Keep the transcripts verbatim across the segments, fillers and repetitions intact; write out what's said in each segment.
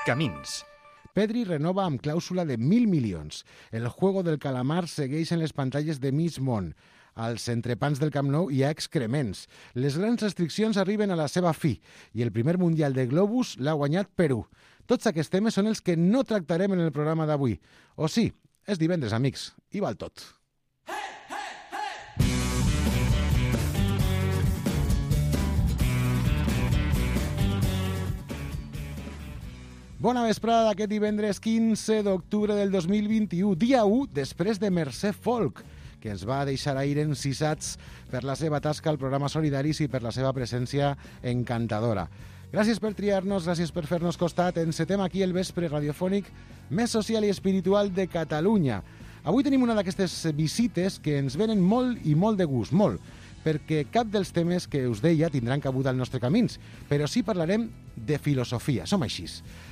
Camins. Pedri renova amb clàusula de mil milions. El juego del calamar segueix en les pantalles de mig món. Als entrepans del Camp Nou hi ha excrements. Les grans restriccions arriben a la seva fi i el primer Mundial de Globus l'ha guanyat Perú. Tots aquests temes són els que no tractarem en el programa d'avui. O sí, és divendres, amics, i val tot. Bona vesprada d'aquest divendres quinze d'octubre del dos mil vint-i-u, dia u després de Mercè Folk, que ens va deixar ahir encisats per la seva tasca al programa Solidaris i per la seva presència encantadora. Gràcies per triar-nos, gràcies per fer-nos costat. Encetem aquí el vespre radiofònic més social i espiritual de Catalunya. Avui tenim una d'aquestes visites que ens venen molt i molt de gust, molt, perquè cap dels temes que us deia tindran cabuda al nostre Camins, però sí parlarem de filosofia, som així.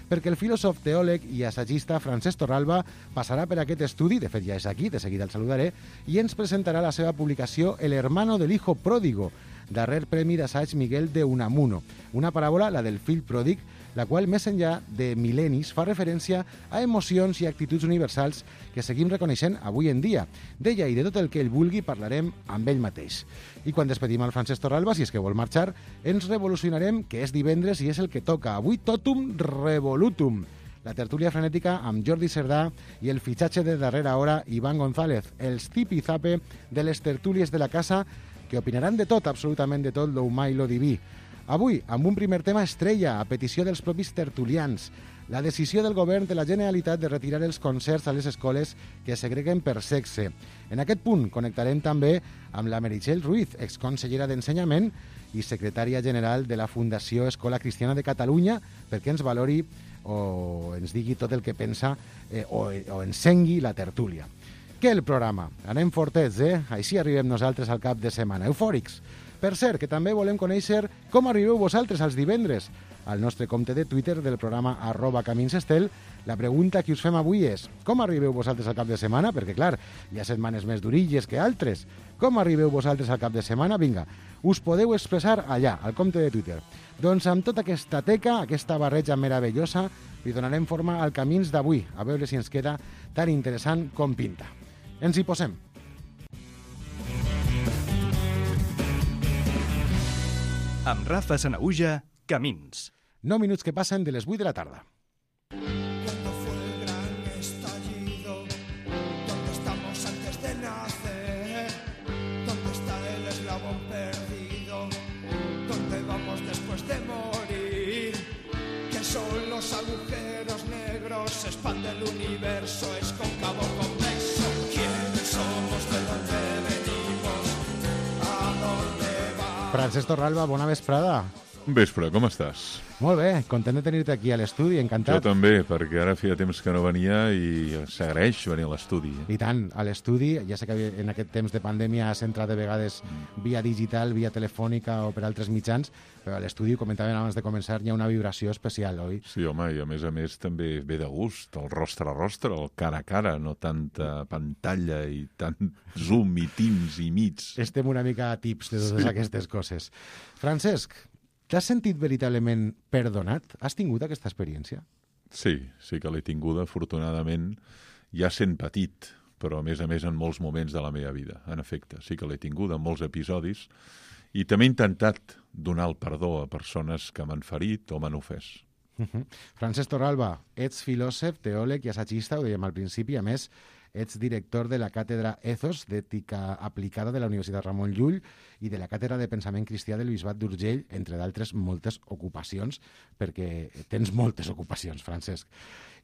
Perquè el filòsof, teòleg i assagista Francesc Torralba passarà per aquest estudi, de fet ja és aquí, de seguida el saludaré, i ens presentarà la seva publicació El hermano del hijo pródigo, darrer premi d'assaig Miguel de Unamuno, una paràbola, la del fill pròdig, la qual, més enllà de mil·lennis, fa referència a emocions i actituds universals que seguim reconeixent avui en dia. D'ella i de tot el que ell vulgui parlarem amb ell mateix. I quan despedim al Francesc Torralba, si és que vol marxar, ens revolucionarem, que és divendres i és el que toca. Avui totum revolutum. La tertúlia frenètica amb Jordi Cerdà i el fitxatge de darrera hora Iván González, els tipi-zape de les tertúlies de la casa que opinaran de tot, absolutament de tot, lo humà i lo diví. Avui, amb un primer tema estrella, a petició dels propis tertulians, la decisió del govern de la Generalitat de retirar els concerts a les escoles que segreguen per sexe. En aquest punt connectarem també amb la Meritxell Ruiz, exconsellera d'Ensenyament i secretària general de la Fundació Escola Cristiana de Catalunya, perquè ens valori o ens digui tot el que pensa eh, o, o encengui la tertúlia. Què el programa? Anem fortets, eh? Així arribem nosaltres al cap de setmana, eufòrics. Per cert, que també volem conèixer com arribeu vosaltres als divendres. Al nostre compte de Twitter del programa arroba caminsestel, la pregunta que us fem avui és com arribeu vosaltres al cap de setmana? Perquè, clar, hi ha setmanes més durilles que altres. Com arribeu vosaltres al cap de setmana? Vinga, us podeu expressar allà, al compte de Twitter. Doncs amb tota aquesta teca, aquesta barreja meravellosa, li donarem forma al Camins d'avui, a veure si ens queda tan interessant com pinta. Ens hi posem. Amb Rafa Sanahuja, Camins. nou minuts que passen de les vuit de la tarda. Cuando fue el gran estallido, ¿dónde estamos antes de nacer? ¿Dónde está el eslabón perdido? ¿Dónde vamos después de morir? ¿Qué son los agujeros negros? Se expande el universo, es cóncavo convexo. ¿Quiénes somos? ¿De dónde venimos? ¿A dónde vamos? Francesc Torralba, bona vesprada. Vespre, com estàs? Molt bé, content de tenir-te aquí a l'estudi, encantat. Jo també, perquè ara feia temps que no venia i s'agraeix venir a l'estudi. I tant, a l'estudi, ja sé que en aquest temps de pandèmia has entrat de vegades via digital, via telefònica o per altres mitjans, però a l'estudi, comentàvem abans de començar, hi ha una vibració especial, oi? Sí, home, i a més a més també ve de gust, el rostre a rostre, el cara a cara, no tanta pantalla i tant zoom i teams i meets. Estem una mica a tips de totes sí. aquestes coses. Francesc, t'has sentit veritablement perdonat? Has tingut aquesta experiència? Sí, sí que l'he tinguda, afortunadament, ja sent petit, però a més a més en molts moments de la meva vida, en efecte. Sí que l'he tinguda en molts episodis i també he intentat donar el perdó a persones que m'han ferit o m'han ofès. Uh -huh. Francesc Torralba, ets filòsof, teòleg i assagista, ho dèiem al principi, a més, ets director de la càtedra Ethos d'Ètica Aplicada de la Universitat Ramon Llull i de la càtedra de Pensament Cristià del Bisbat d'Urgell, entre d'altres moltes ocupacions, perquè tens moltes ocupacions, Francesc.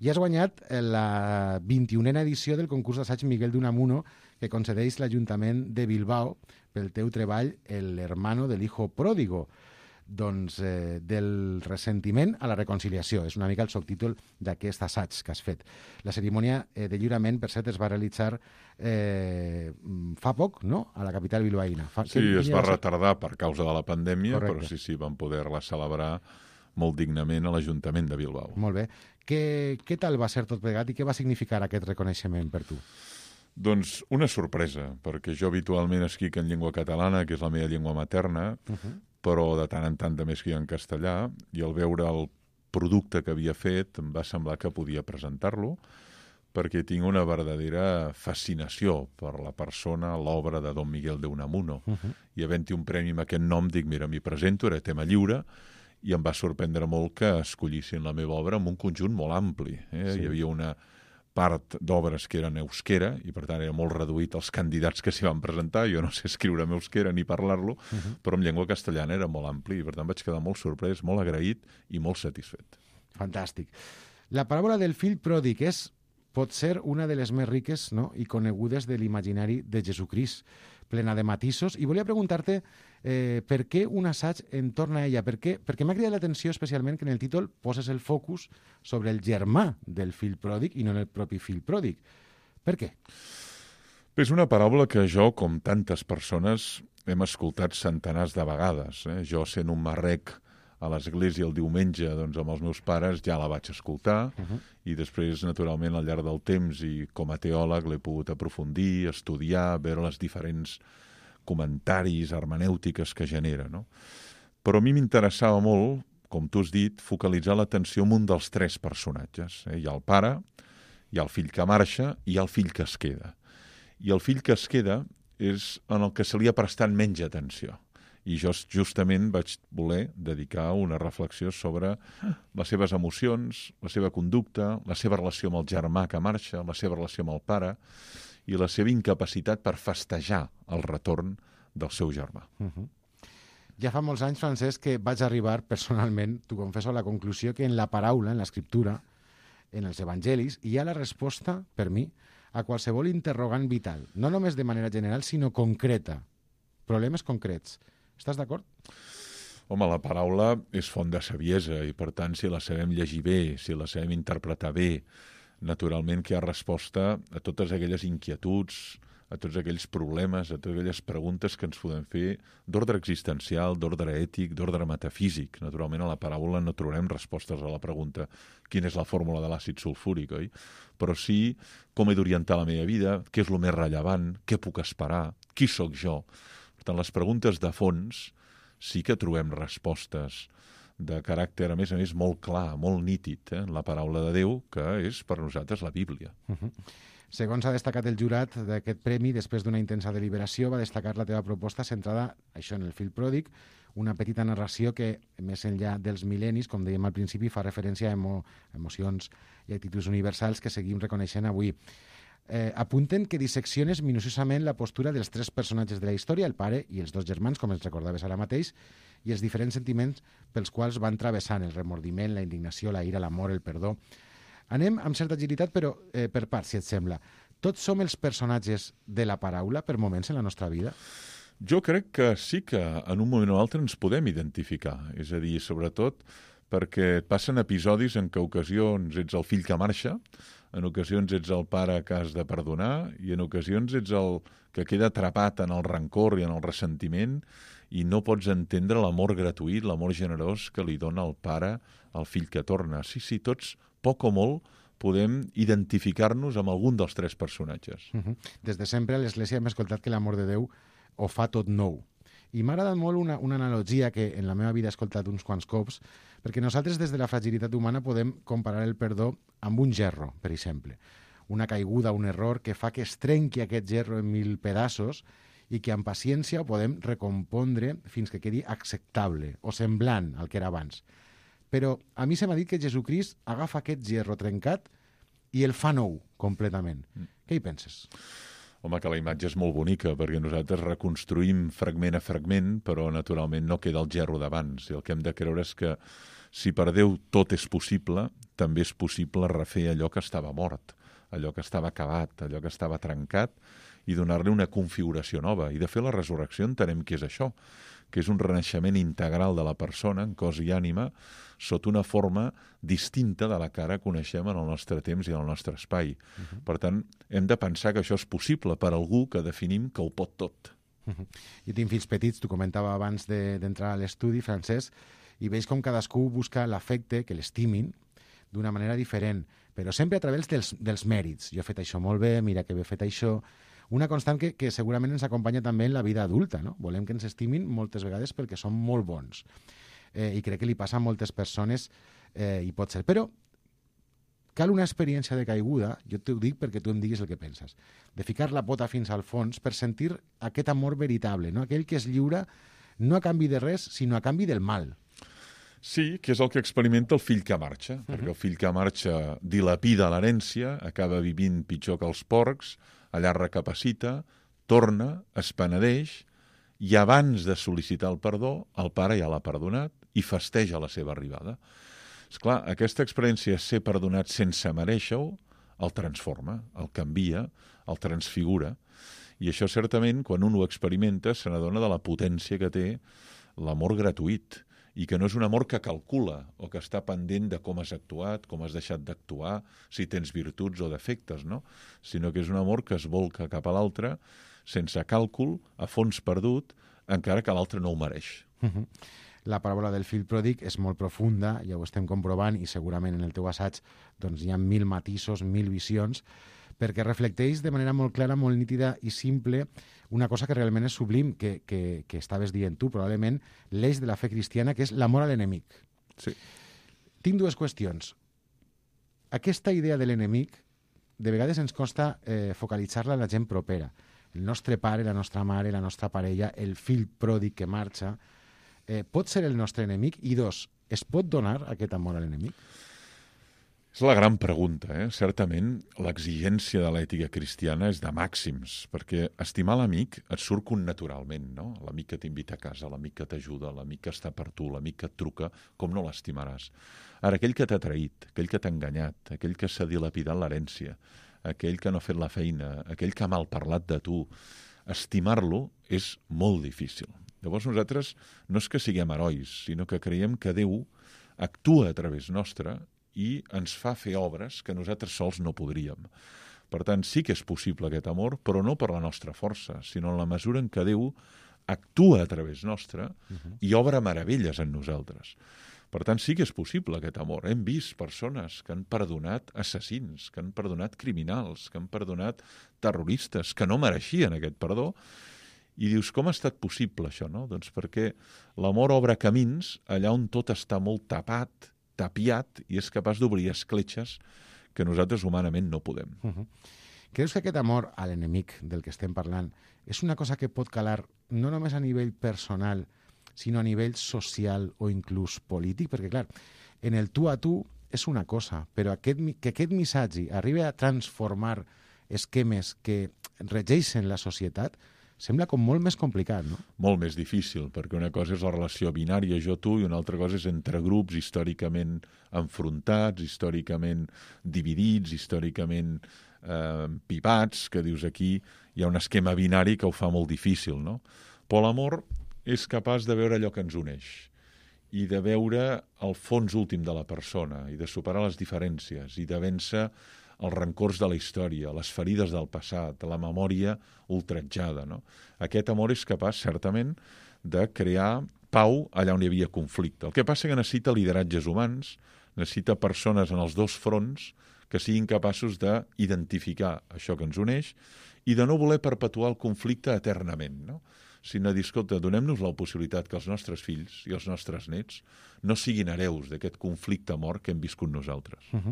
I has guanyat la vint-i-unena edició del concurs d'assaig Miguel de Unamuno que concedeix l'Ajuntament de Bilbao pel teu treball El hermano del hijo pródigo. Doncs eh, del ressentiment a la reconciliació. És una mica el subtítol d'aquest assaig que has fet. La cerimònia eh, de lliurament, per cert, es va realitzar eh, fa poc, no?, a la capital bilbaïna. Fa... Sí, que, es va retardar per causa de la pandèmia, Correcte. Però sí, sí, vam poder-la celebrar molt dignament a l'Ajuntament de Bilbao. Molt bé. Què, què tal va ser tot plegat i què va significar aquest reconeixement per tu? Doncs una sorpresa, perquè jo habitualment escric en llengua catalana, que és la meva llengua materna, uh-huh. però de tant en tant també escric en castellà, i al veure el producte que havia fet em va semblar que podia presentar-lo, perquè tinc una verdadera fascinació per la persona, l'obra de Don Miguel de Unamuno. Uh-huh. I havent-hi un premi amb aquest nom, dic, mira, m'hi presento, era tema lliure, i em va sorprendre molt que escollissin la meva obra amb un conjunt molt ampli. Eh? Sí. Hi havia una part d'obres que eren euskera, i per tant era molt reduït els candidats que s'hi van presentar. Jo no sé escriure en euskera ni parlar-lo, uh-huh. però en llengua castellana era molt ampli, i per tant vaig quedar molt sorprès, molt agraït i molt satisfet. Fantàstic. La paràbola del fill pròdig és, pot ser una de les més riques, no?, i conegudes de l'imaginari de Jesucrist, plena de matisos. I volia preguntar-te eh, per què un assaig entorn a ella, per què, perquè m'ha cridat l'atenció especialment que en el títol poses el focus sobre el germà del fill pròdig i no en el propi fill pròdig. Per què? És una paràbola que jo, com tantes persones, hem escoltat centenars de vegades. Eh? Jo, sent un marrec a l'església el diumenge, doncs amb els meus pares ja la vaig escoltar, uh-huh. i després, naturalment, al llarg del temps i com a teòleg l'he pogut aprofundir, estudiar, veure les diferents comentaris, hermenèutiques que genera, no? Però a mi m'interessava molt, com tu has dit, focalitzar l'atenció en un dels tres personatges. Eh? Hi ha el pare, hi ha el fill que marxa i hi ha el fill que es queda. I el fill que es queda és en el que se li ha prestat menys atenció. I jo justament vaig voler dedicar una reflexió sobre les seves emocions, la seva conducta, la seva relació amb el germà que marxa, la seva relació amb el pare i la seva incapacitat per festejar el retorn del seu germà. Uh-huh. Ja fa molts anys, Francesc, que vaig arribar personalment, t'ho confesso, a la conclusió que en la paraula, en l'escriptura, en els evangelis, hi ha la resposta, per mi, a qualsevol interrogant vital. No només de manera general, sinó concreta. Problemes concrets. Estàs d'acord? Home, la paraula és font de saviesa i, per tant, si la sabem llegir bé, si la sabem interpretar bé, naturalment que hi ha resposta a totes aquelles inquietuds, a tots aquells problemes, a totes aquelles preguntes que ens podem fer d'ordre existencial, d'ordre ètic, d'ordre metafísic. Naturalment, a la paràbola no trobarem respostes a la pregunta quina és la fórmula de l'àcid sulfúric, oi? Però sí com he d'orientar la meva vida, què és el més rellevant, què puc esperar, qui sóc jo. Per tant, les preguntes de fons sí que trobem respostes de caràcter, a més a més, molt clar, molt nítid, eh? en la paraula de Déu, que és per nosaltres la Bíblia. Uh-huh. Segons ha destacat el jurat d'aquest premi, després d'una intensa deliberació, va destacar la teva proposta centrada, això, en el fill pròdig, una petita narració que, més enllà dels mil·lennis, com dèiem al principi, fa referència a emo emocions i actituds universals que seguim reconeixent avui. Eh, apunten que dissecciones minuciosament la postura dels tres personatges de la història, el pare i els dos germans, com ens recordaves ara mateix, i els diferents sentiments pels quals van travessant el remordiment, la indignació, la ira, l'amor, el perdó. Anem amb certa agilitat, però eh, per parts, si et sembla. Tots som els personatges de la paraula per moments en la nostra vida? Jo crec que sí que en un moment o altre ens podem identificar. És a dir, sobretot perquè passen episodis en què ocasions ets el fill que marxa, en ocasions ets el pare que has de perdonar i en ocasions ets el que queda atrapat en el rancor i en el ressentiment i no pots entendre l'amor gratuït, l'amor generós que li dona el pare al fill que torna. Sí, sí, tots, poc o molt, podem identificar-nos amb algun dels tres personatges. Uh-huh. Des de sempre a l'Església hem escoltat que l'amor de Déu ho fa tot nou. I m'ha agradat molt una, una analogia que en la meva vida he escoltat uns quants cops, perquè nosaltres des de la fragilitat humana podem comparar el perdó amb un gerro, per exemple. Una caiguda, un error que fa que es trenqui aquest gerro en mil pedaços i que amb paciència ho podem recompondre fins que quedi acceptable o semblant al que era abans. Però a mi se m'ha dit que Jesucrist agafa aquest gerro trencat i el fa nou completament. Mm. Què hi penses? Home, que la imatge és molt bonica, perquè nosaltres reconstruïm fragment a fragment, però naturalment no queda el gerro d'abans. I el que hem de creure és que si per Déu tot és possible, també és possible refer allò que estava mort, allò que estava acabat, allò que estava trencat, i donar-li una configuració nova. I de fer la resurrecció entenem que és això, que és un renaixement integral de la persona, en cos i ànima, sota una forma distinta de la que ara coneixem en el nostre temps i en el nostre espai. Uh-huh. Per tant, hem de pensar que això és possible per algú que definim que ho pot tot. Uh-huh. Jo tinc fills petits, t'ho comentava abans d'entrar de, a l'estudi, Francesc, i veig com cadascú busca l'afecte, que l'estimin, d'una manera diferent, però sempre a través dels, dels mèrits. Jo he fet això molt bé, mira que bé he fet això. Una constant que, que segurament ens acompanya també en la vida adulta, no? Volem que ens estimin moltes vegades perquè som molt bons. Eh, I crec que li passa a moltes persones eh, i pot ser. Però cal una experiència de caiguda, jo t'ho dic perquè tu em diguis el que penses, de ficar la pota fins al fons per sentir aquest amor veritable, no? Aquell que es lliura no a canvi de res, sinó a canvi del mal. Sí, que és el que experimenta el fill que marxa, uh-huh. perquè el fill que marxa dilapida l'herència, acaba vivint pitjor que els porcs, allà recapacita, torna, es penedeix, i abans de sol·licitar el perdó, el pare ja l'ha perdonat i festeja la seva arribada. Esclar, aquesta experiència de ser perdonat sense merèixer-ho el transforma, el canvia, el transfigura. I això, certament, quan un ho experimenta, se n'adona de la potència que té l'amor gratuït, i que no és un amor que calcula o que està pendent de com has actuat, com has deixat d'actuar, si tens virtuts o defectes, no? Sinó que és un amor que es volca cap a l'altre sense càlcul, a fons perdut, encara que l'altre no ho mereix. Uh-huh. La paràbola del fill pròdig és molt profunda, ja ho estem comprovant, i segurament en el teu assaig doncs, hi ha mil matisos, mil visions, perquè reflecteix de manera molt clara, molt nítida i simple una cosa que realment és sublim, que, que, que estaves dient tu, probablement l'eix de la fe cristiana, que és l'amor a l'enemic. Sí. Tinc dues qüestions. Aquesta idea de l'enemic, de vegades ens costa eh, focalitzar-la en la gent propera. El nostre pare, la nostra mare, la nostra parella, el fill pròdig que marxa, eh, pot ser el nostre enemic? I dos, es pot donar aquest amor a l'enemic? És la gran pregunta, eh? Certament, l'exigència de l'ètica cristiana és de màxims, perquè estimar l'amic et surt connaturalment, no? L'amic que t'invita a casa, l'amic que t'ajuda, l'amic que està per tu, l'amic que et truca, com no l'estimaràs? Ara, aquell que t'ha traït, aquell que t'ha enganyat, aquell que s'ha dilapidat l'herència, aquell que no ha fet la feina, aquell que ha malparlat de tu, estimar-lo és molt difícil. Llavors nosaltres no és que siguem herois, sinó que creiem que Déu actua a través nostre i ens fa fer obres que nosaltres sols no podríem. Per tant, sí que és possible aquest amor, però no per la nostra força, sinó en la mesura en què Déu actua a través nostre uh-huh. i obre meravelles en nosaltres. Per tant, sí que és possible aquest amor. Hem vist persones que han perdonat assassins, que han perdonat criminals, que han perdonat terroristes, que no mereixien aquest perdó, i dius, com ha estat possible això, no? Doncs perquè l'amor obre camins allà on tot està molt tapat, tapiat, i és capaç d'obrir escletxes que nosaltres humanament no podem. Uh-huh. Creus que aquest amor a l'enemic del que estem parlant és una cosa que pot calar no només a nivell personal, sinó a nivell social o inclús polític? Perquè, clar, en el tu a tu és una cosa, però aquest, que aquest missatge arribi a transformar esquemes que regeixen la societat sembla com molt més complicat, no? Molt més difícil, perquè una cosa és la relació binària jo-tu i una altra cosa és entre grups històricament enfrontats, històricament dividits, històricament eh, pipats, que dius aquí hi ha un esquema binari que ho fa molt difícil, no? Però l'amor és capaç de veure allò que ens uneix i de veure el fons últim de la persona i de superar les diferències i de vèncer els rancors de la història, les ferides del passat, la memòria ultratjada, no? Aquest amor és capaç, certament, de crear pau allà on hi havia conflicte. El que passa que necessita lideratges humans, necessita persones en els dos fronts que siguin capaços d'identificar això que ens uneix i de no voler perpetuar el conflicte eternament, no? Sinó dir, escolta, donem-nos la possibilitat que els nostres fills i els nostres nets no siguin hereus d'aquest conflicte mort que hem viscut nosaltres. Uh-huh.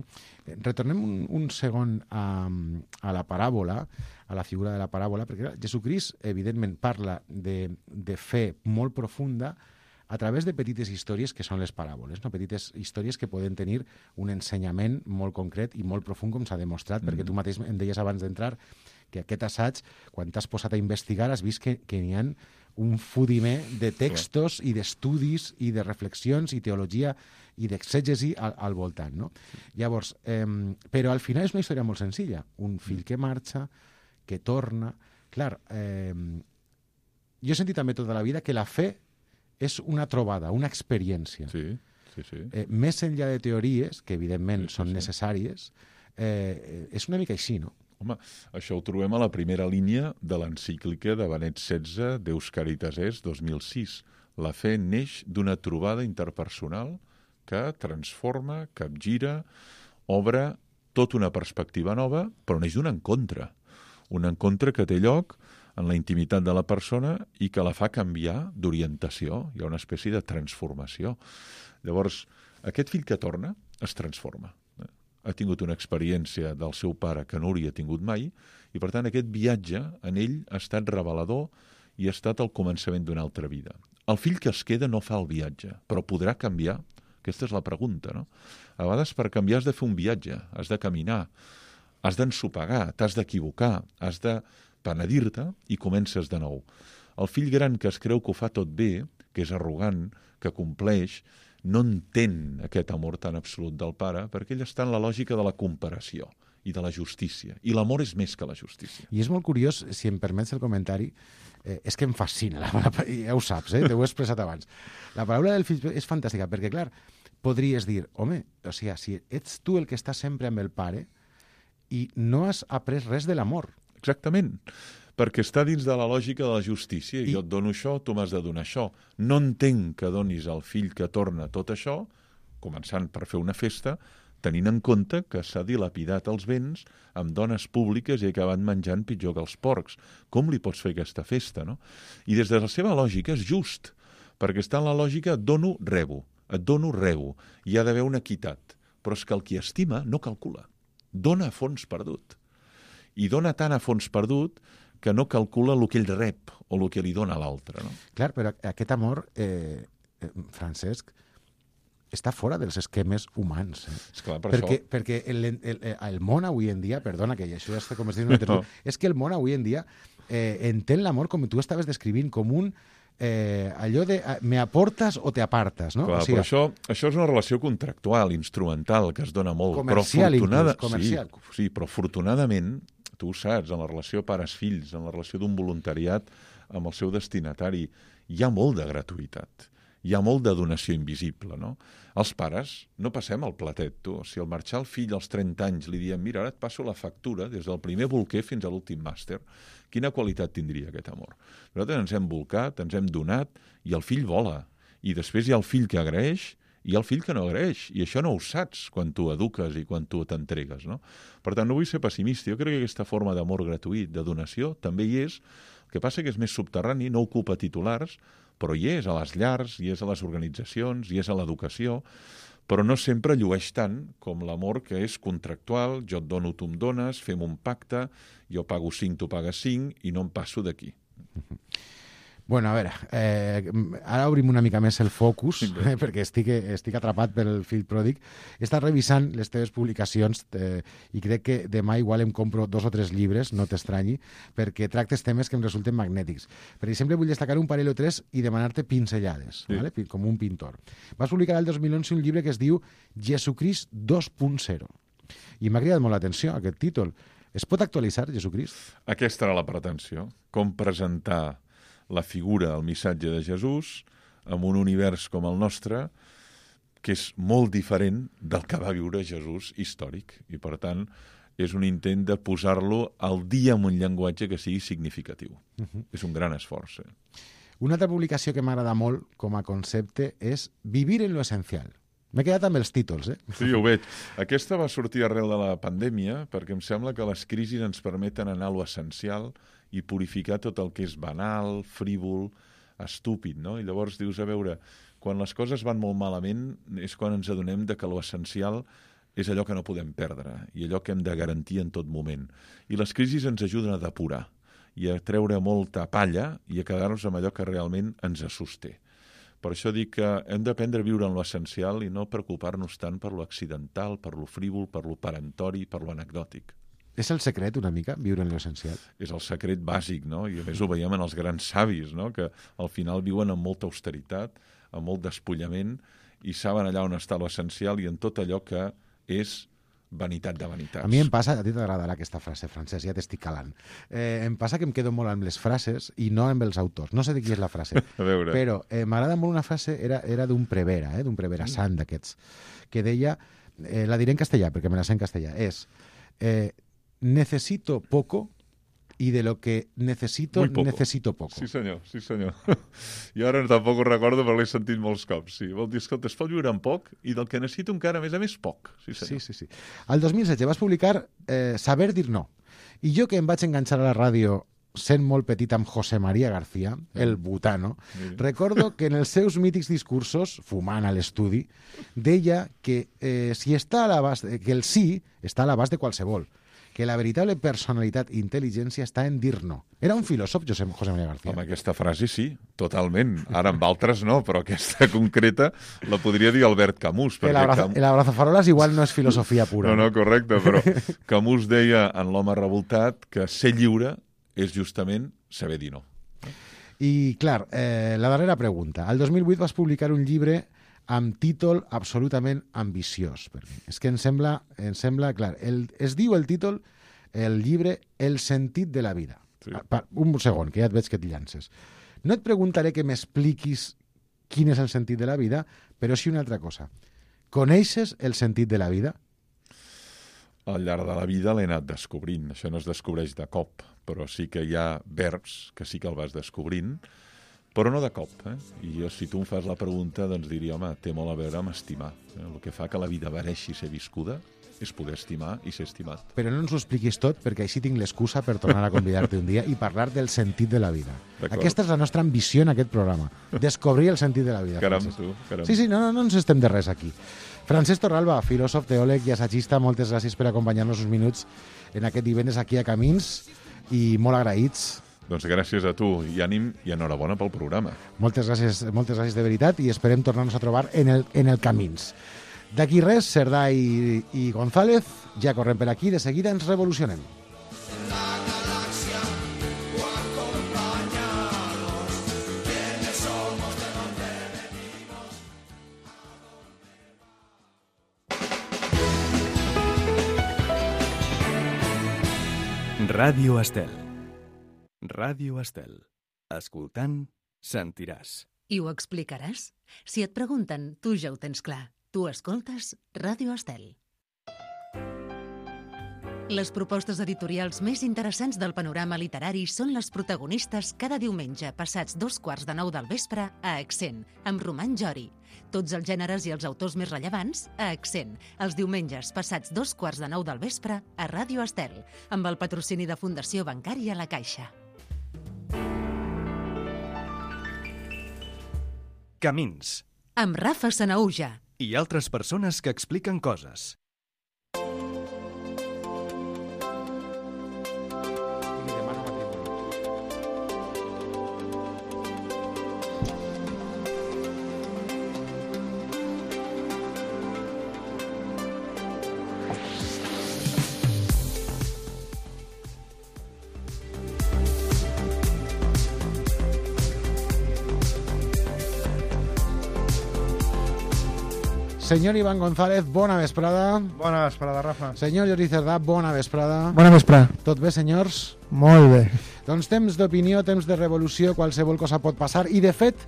Retornem un, un segon a, a la paràbola, a la figura de la paràbola, perquè Jesucrist, evidentment, parla de, de fe molt profunda a través de petites històries que són les paràboles, no? Petites històries que poden tenir un ensenyament molt concret i molt profund, com s'ha demostrat, mm. perquè tu mateix em deies abans d'entrar que aquest assaig, quan t'has posat a investigar, has vist que, que n'hi ha un fudimer de textos i d'estudis i de reflexions i teologia i d'exègesi al, al voltant, no? Llavors, eh, però al final és una història molt senzilla. Un fill que marxa, que torna... Clar, eh, jo he sentit també tota la vida que la fe és una trobada, una experiència. Sí, sí, sí. Eh, més enllà de teories, que evidentment sí, sí, són sí. necessàries, eh, és una mica així, no? Home, això ho trobem a la primera línia de l'encíclica de Benet setze, Deus Caritas Est, dos mil sis. La fe neix d'una trobada interpersonal que transforma, capgira, obre tota una perspectiva nova, però neix d'un encontre. Un encontre que té lloc en la intimitat de la persona i que la fa canviar d'orientació. Hi ha una espècie de transformació. Llavors, aquest fill que torna es transforma. Ha tingut una experiència del seu pare que no hauria tingut mai, i per tant aquest viatge en ell ha estat revelador i ha estat el començament d'una altra vida. El fill que es queda no fa el viatge, però podrà canviar? Aquesta és la pregunta, no? A vegades per canviar has de fer un viatge, has de caminar, has d'ensopegar, t'has d'equivocar, has de penedir-te i comences de nou. El fill gran que es creu que ho fa tot bé, que és arrogant, que compleix, no entén aquest amor tan absolut del pare perquè ell està en la lògica de la comparació i de la justícia. I l'amor és més que la justícia. I és molt curiós, si em permets el comentari, eh, és que em fascina, la, la, ja ho saps, eh, t'ho he expressat abans. La paraula del fill és fantàstica, perquè, clar, podries dir, home, o sigui, si ets tu el que està sempre amb el pare i no has après res de l'amor. Exactament, perquè està dins de la lògica de la justícia. I... jo et dono això, tu m'has de donar això. No entenc que donis al fill que torna tot això, començant per fer una festa, tenint en compte que s'ha dilapidat els béns amb dones públiques i ha acabat menjant pitjor que els porcs. Com li pots fer aquesta festa, no? I des de la seva lògica és just, perquè està en la lògica et dono, rebo, et dono, rebo. Hi ha d'haver una equitat. Però és que el qui estima no calcula. Dona a fons perdut. I dona tant a fons perdut que no calcula el que ell rep o el que li dona a l'altre. No? Clar, però aquest amor, eh, eh, Francesc, està fora dels esquemes humans. Eh? Esclar, per perquè, això... perquè el, el, el món avui en dia, perdona, que això ja està com es diu una tertúlia, no. És que el món avui en dia eh, entén l'amor com tu estaves descrivint, com un eh, allò de me aportes o te apartes, no? Clar, o sigui, però això, això és una relació contractual, instrumental, que es dona molt. Comercial, però afortunada... inclús, comercial. Sí, sí, però afortunadament, tu ho saps, en la relació pares-fills, en la relació d'un voluntariat amb el seu destinatari, hi ha molt de gratuïtat. Hi ha molt de donació invisible, no? Els pares no passem el platet, tu. Si al marxar el fill als trenta anys li diem mira, ara et passo la factura des del primer bolquer fins a l'últim màster, quina qualitat tindria aquest amor? Nosaltres ens hem bolcat, ens hem donat, i el fill vola. I després hi ha el fill que agraeix i hi ha el fill que no agraeix. I això no ho saps quan tu eduques i quan tu t'entregues, no? Per tant, no vull ser pessimista. Jo crec que aquesta forma d'amor gratuït, de donació, també hi és. El que passa que és més subterrani, no ocupa titulars, però hi és a les llars, hi és a les organitzacions, hi és a l'educació, però no sempre llueix tant com l'amor que és contractual, jo et dono, tu em dones, fem un pacte, jo pago cinc, tu pagues cinc, i no em passo d'aquí. Bueno, a veure, eh, ara obrim una mica més el focus, eh, perquè estic, estic atrapat pel fill pròdig. He estat revisant les teves publicacions eh, i crec que demà igual em compro dos o tres llibres, no t'estranyi, perquè tractes temes que em resulten magnètics. Per exemple, vull destacar un parell o tres i demanar-te pinzellades, sí. ¿Vale? Com un pintor. Vas publicar el dos mil onze un llibre que es diu Jesucrist dos punt zero. I m'ha cridat molt l'atenció aquest títol. Es pot actualitzar, Jesucrist? Aquesta era la pretensió. Com presentar la figura, el missatge de Jesús en un univers com el nostre que és molt diferent del que va viure Jesús històric. I, per tant, és un intent de posar-lo al dia amb un llenguatge que sigui significatiu. Uh-huh. És un gran esforç. Eh? Una altra publicació que m'agrada molt com a concepte és Vivir en lo esencial. M'he quedat amb els títols, eh? Sí, ho veig. Aquesta va sortir arrel de la pandèmia perquè em sembla que les crisis ens permeten anar a lo essencial i purificar tot el que és banal, frívol, estúpid, no? I llavors dius, a veure, quan les coses van molt malament és quan ens adonem de que lo essencial és allò que no podem perdre i allò que hem de garantir en tot moment. I les crisis ens ajuden a depurar i a treure molta palla i a quedar-nos amb allò que realment ens sosté. Per això dic que hem d'aprendre a viure en lo essencial i no preocupar-nos tant per lo accidental, per lo frívol, per lo perentori, per lo anecdòtic. És el secret, una mica, viure en l'essencial? És el secret bàsic, no? I a més ho veiem en els grans savis, no? Que al final viuen amb molta austeritat, amb molt despullament, i saben allà on està l'essencial i en tot allò que és vanitat de vanitats. A mi em passa, a ti t'agradarà aquesta frase, Francesc, ja t'estic calant. Eh, em passa que em quedo molt amb les frases i no amb els autors. No sé de qui és la frase, a veure. Però eh, m'agrada molt una frase, era, era d'un prevera, eh, d'un prevera mm. sant d'aquests, que deia, eh, la diré en castellà, perquè me la sé en castellà, és... Eh, necesito poco y de lo que necesito, poco. necesito poco. Sí, senyor, sí, senyor. Jo ara tampoc ho recordo, però l'he sentit molts cops. Sí. Vol dir, escolta, es pot viure amb poc i del que necessito encara, a més a més, poc. Sí, senyor. Sí, sí, sí. El dos mil setze vas publicar eh, Saber dir no. I jo que em vaig enganxar a la ràdio sent molt petit amb José María García, el butano, recordo que en els seus mítics discursos, fumant a l'estudi, deia que, eh, si està a l'abast, que el sí està a l'abast de qualsevol, que la veritable personalitat i intel·ligència està en dir no. Era un filòsof, José, José María García. Amb aquesta frase sí, totalment. Ara amb altres no, però aquesta concreta la podria dir Albert Camus. El abrazo, Cam... el abrazafarolas igual no és filosofia pura. No, no, correcte, però Camus deia en l'home revoltat que ser lliure és justament saber dir no. I, clar, eh, la darrera pregunta. El dos mil vuit vas publicar un llibre amb títol absolutament ambiciós. Perquè és que em sembla, em sembla clar, el, es diu el títol, el llibre, El sentit de la vida. Sí. Un segon, que ja et veig que et llances. No et preguntaré que m'expliquis quin és el sentit de la vida, però sí una altra cosa. Coneixes el sentit de la vida? Al llarg de la vida l'he anat descobrint. Això no es descobreix de cop, però sí que hi ha verbs que sí que el vas descobrint, però no de cop. Eh? I jo, si tu em fas la pregunta, doncs diria, home, té molt a veure amb estimar. Eh? El que fa que la vida mereixi ser viscuda és poder estimar i ser estimat. Però no ens ho expliquis tot, perquè així tinc l'excusa per tornar a convidar-te un dia i parlar del sentit de la vida. Aquesta és la nostra ambició en aquest programa, descobrir el sentit de la vida. Caram, Francesc. tu, caram. Sí, sí, no, no, no ens estem de res aquí. Francesc Torralba, filòsof, teòleg i assagista, moltes gràcies per acompanyar-nos uns minuts en aquest divendres aquí a Camins i molt agraïts. Doncs gràcies a tu i ànim i enhorabona pel programa. Moltes gràcies, moltes gràcies de veritat i esperem tornar-nos a trobar en el, en el Camins. D'aquí res, Cerdà i, i González, ja correm per aquí, de seguida ens revolucionem. Ràdio Estel. Ràdio Estel. Escoltant, sentiràs. I ho explicaràs? Si et pregunten, tu ja ho tens clar. Tu escoltes Ràdio Estel. Les propostes editorials més interessants del panorama literari són les protagonistes cada diumenge passats dos quarts de nou del vespre a Accent, amb Roman Jori. Tots els gèneres i els autors més rellevants a Accent, els diumenges passats dos quarts de nou del vespre a Ràdio Estel, amb el patrocini de Fundació Bancària La Caixa. Camins. Amb Rafa Sanaúja. I altres persones que expliquen coses. Senyor Iván González, bona vesprada. Bona vesprada, Rafa. Senyor Jordi Cerdà, bona vesprada. Bona vesprada. Tot bé, senyors? Molt bé. Doncs temps d'opinió, temps de revolució, qualsevol cosa pot passar. I, de fet,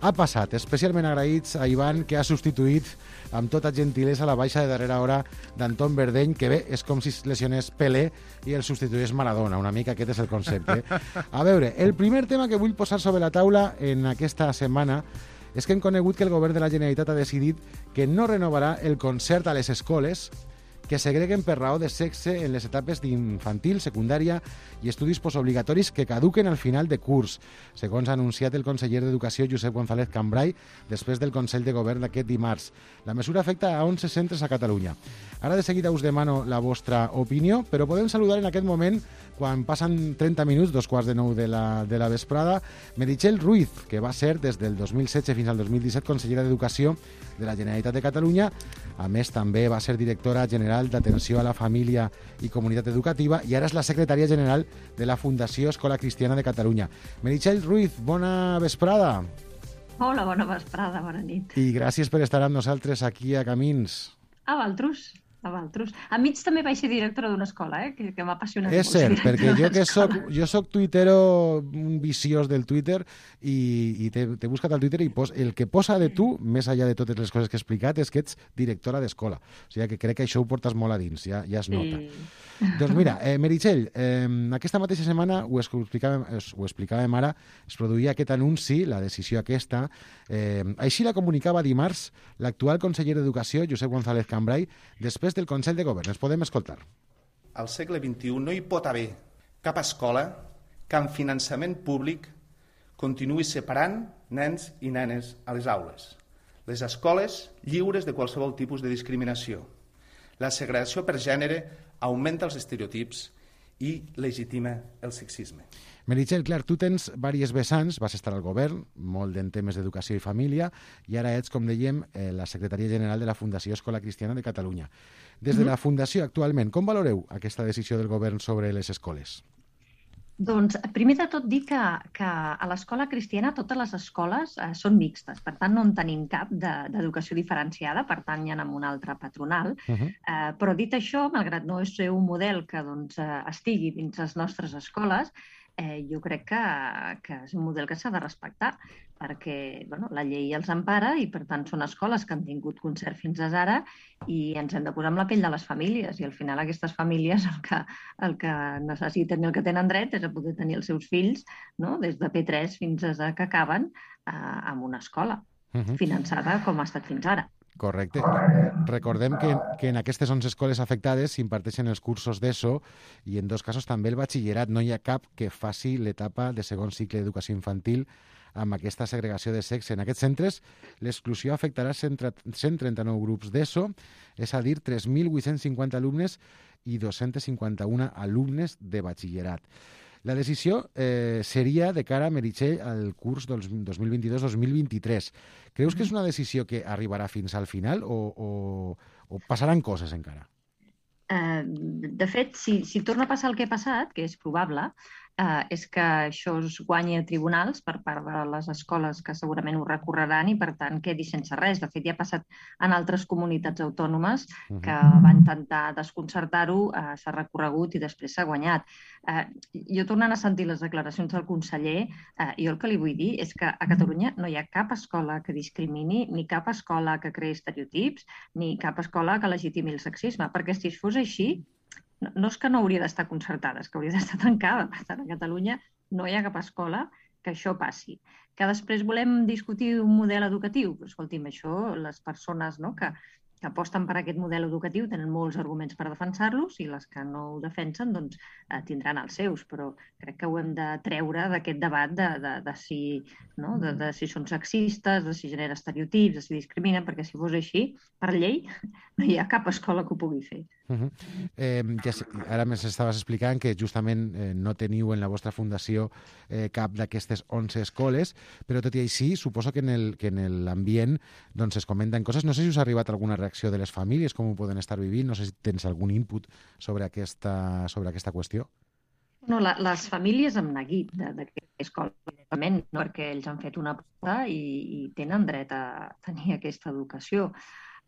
ha passat. Especialment agraïts a Iván, que ha substituït amb tota gentilesa la baixa de darrera hora d'Anton Verdeny, que bé, és com si es lesionés Pelé i el substituís Maradona. Una mica aquest és el concepte. A veure, el primer tema que vull posar sobre la taula en aquesta setmana és que hem conegut que el govern de la Generalitat ha decidit que no renovarà el concert a les escoles que segreguen per raó de sexe en les etapes d'infantil, secundària i estudis postobligatoris que caduquen al final de curs, segons ha anunciat el conseller d'Educació Josep González Cambray després del Consell de Govern d'aquest dimarts. La mesura afecta a onze centres a Catalunya. Ara de seguida us demano la vostra opinió, però podem saludar en aquest moment, quan passen trenta minuts, dos quarts de nou de la, de la vesprada, Meritxell Ruiz, que va ser des del dos mil setze fins al dos mil disset consellera d'Educació de la Generalitat de Catalunya. A més, també va ser directora general d'Atenció a la Família i Comunitat Educativa i ara és la secretària general de la Fundació Escola Cristiana de Catalunya. Meritxell Ruiz, bona vesprada. Hola, bona vesprada, bona nit. I gràcies per estar amb nosaltres aquí a Camins. A Valtrus, a Valtrus. A mig també vaig ser directora d'una escola, eh? que, que m'ha apassionat És molt. cert, perquè jo que soc, jo soc tuitero, un viciós del Twitter, i, i t'he buscat al Twitter i pos, el que posa de tu, més enllà de totes les coses que he explicat, és que ets directora d'escola. O sigui que crec que això ho portes molt a dins, ja, ja es nota. Sí. Doncs mira, eh, Meritxell, eh, aquesta mateixa setmana, ho explicàvem, ho explicàvem ara, es produïa aquest anunci, la decisió aquesta. Eh, així la comunicava dimarts l'actual conseller d'Educació, Josep González Cambray, després del Consell de Govern. Es podem escoltar. Al segle vint-i-u no hi pot haver cap escola que amb finançament públic continuï separant nens i nenes a les aules. Les escoles lliures de qualsevol tipus de discriminació. La segregació per gènere augmenta els estereotips i legitima el sexisme. Meritxell, clar, tu tens diverses vessants, vas estar al govern, molt en temes d'educació i família, i ara ets, com dèiem, eh, la secretària general de la Fundació Escola Cristiana de Catalunya. Des de la Fundació, actualment, com valoreu aquesta decisió del govern sobre les escoles? Doncs, primer de tot, dir que, que a l'escola cristiana totes les escoles eh, són mixtes, per tant, no en tenim cap d'educació de, diferenciada, per tant, hi ha amb una altra patronal. Uh -huh. eh, però dit això, malgrat no és un model que doncs, eh, estigui dins les nostres escoles, eh, jo crec que, que és un model que s'ha de respectar, perquè bueno, la llei els empara i, per tant, són escoles que han tingut concert fins ara i ens hem de posar amb la pell de les famílies. I, al final, aquestes famílies el que, el que necessiten i el que tenen dret és a poder tenir els seus fills, no? Des de P tres fins a que acaben eh, en una escola uh-huh. finançada com ha estat fins ara. Correcte. Recordem que, que en aquestes onze escoles afectades s'imparteixen els cursos d'ESO i en dos casos també el batxillerat. No hi ha cap que faci l'etapa de segon cicle d'educació infantil amb aquesta segregació de sexe. En aquests centres l'exclusió afectarà cent trenta-nou grups d'ESO, és a dir, tres mil vuit-cents cinquanta alumnes i dos-cents cinquanta-un alumnes de batxillerat. La decisió eh, seria de cara a Meritxell al curs dos mil vint-i-dos dos mil vint-i-tres. Creus que és una decisió que arribarà fins al final o, o, o passaran coses encara? Eh, de fet, si, si torna a passar el que ha passat, que és probable, eh, és que això es guanyi a tribunals per part de les escoles que segurament ho recorreran i, per tant, quedi sense res. De fet, ja ha passat en altres comunitats autònomes que van intentar desconcertar-ho, eh, s'ha recorregut i després s'ha guanyat. Eh, jo, tornant a sentir les declaracions del conseller, eh, jo el que li vull dir és que a Catalunya no hi ha cap escola que discrimini, ni cap escola que creï estereotips, ni cap escola que legitimi el sexisme, perquè si fos així, no, no és que no hauria d'estar concertada, és que hauria d'estar tancada. Per tant, a Catalunya no hi ha cap escola que això passi. Que després volem discutir un model educatiu? Però, escolti'm, això, les persones no, que, que aposten per aquest model educatiu tenen molts arguments per defensar-los i les que no ho defensen doncs, eh, tindran els seus, però crec que ho hem de treure d'aquest debat de, de, de, si, no, de, de si són sexistes, de si genera estereotips, de si discriminen, perquè si fos així, per llei, no hi ha cap escola que ho pugui fer. Uh -huh. eh, ja sé, ara més estaves explicant que justament eh, no teniu en la vostra fundació eh, cap d'aquestes onze escoles, però tot i així suposo que en l'ambient doncs, es comenten coses. No sé si us ha arribat alguna reacció de les famílies, com ho poden estar vivint, no sé si tens algun input sobre aquesta, sobre aquesta qüestió. No, la, les famílies han neguit d'aquesta escola, no? Perquè ells han fet una aposta i, i tenen dret a tenir aquesta educació.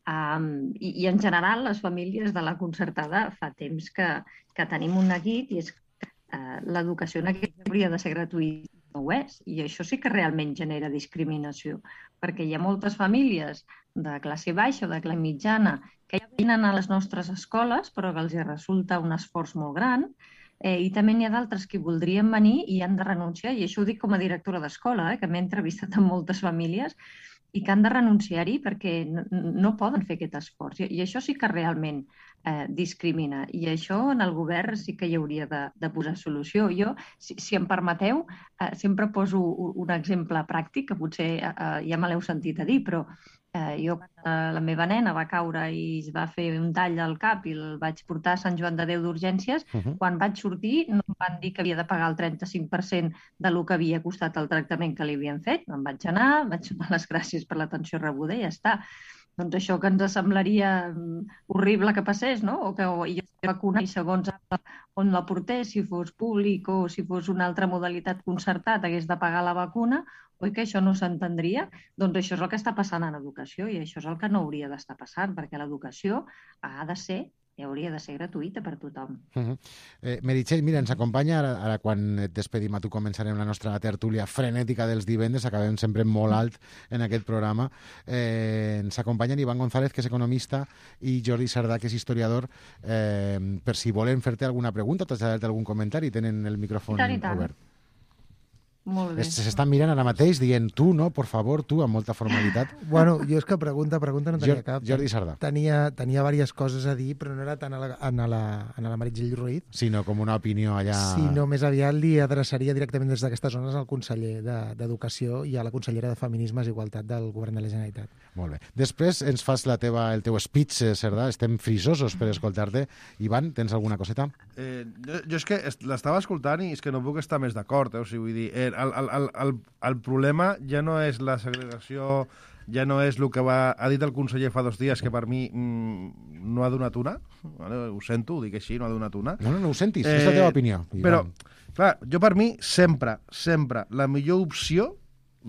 Um, i, I, en general, les famílies de la concertada fa temps que, que tenim un neguit i és que uh, l'educació en aquest hauria de ser gratuïta, no ho és. I això sí que realment genera discriminació, perquè hi ha moltes famílies de classe baixa o de classe mitjana que ja venen a les nostres escoles però que els hi resulta un esforç molt gran. Eh, I també n'hi ha d'altres que voldrien venir i han de renunciar, i això ho dic com a directora d'escola, eh, que m'he entrevistat amb moltes famílies, i que han de renunciar-hi perquè no, no poden fer aquest esforç. I, i això sí que realment eh, discrimina. I això en el govern sí que hi hauria de, de posar solució. Jo, si, si em permeteu, eh, sempre poso un exemple pràctic, que potser eh, ja me l'heu sentit a dir, però Eh, jo, eh, la meva nena va caure i es va fer un tall al cap i el vaig portar a Sant Joan de Déu d'urgències. Uh-huh. Quan vaig sortir no em van dir que havia de pagar el trenta-cinc per cent de lo que havia costat el tractament que li havien fet. Em vaig anar, vaig donar les gràcies per l'atenció rebuda i ja està. Doncs això que ens semblaria horrible que passés, no? O que o, i vacuna i segons on la portés, si fos públic o si fos una altra modalitat concertat, hagués de pagar la vacuna, oi que això no s'entendria? Doncs això és el que està passant en educació i això és el que no hauria d'estar passant, perquè l'educació ha de ser i hauria de ser gratuïta per tothom. Uh-huh. eh, Meritxell, mira, ens acompanya, ara, ara quan et despedim a tu començarem la nostra tertúlia frenètica dels divendres, acabem sempre molt alt en aquest programa. Eh, ens acompanyen Ivan González, que és economista, i Jordi Sardà, que és historiador. Eh, per si volen fer-te alguna pregunta o traslladar-te algun comentari, tenen el micròfon I tant, i tant. obert. Molt bé. S'estan mirant ara mateix dient tu, no, por favor, tu, amb molta formalitat. Bueno, jo és que pregunta, pregunta no tenia Jor- cap. Jordi Sardà. Tenia, tenia diverses coses a dir, però no era tant a la, a la, a la Meritxell Ruiz, Sinó com una opinió allà... sinó més aviat li adreçaria directament des d'aquestes zones al conseller de- d'Educació i a la consellera de Feminismes i Igualtat del Govern de la Generalitat. Molt bé. Després ens fas la teva, el teu speech, eh, Cerdà. Estem frisosos per escoltar-te. Ivan, tens alguna coseta? Eh, jo, jo és que est- l'estava escoltant i és que no puc estar més d'acord. Eh? O sigui, vull dir, eh, el, el, el, el, el problema ja no és la segregació, ja no és el que va, ha dit el conseller fa dos dies, que per mi mm, no ha donat una. Vale? Ho sento, ho dic així, no ha donat una. No, no, no ho sentis. Eh, és la teva opinió. Ivan. Però, clar, jo per mi, sempre, sempre, la millor opció,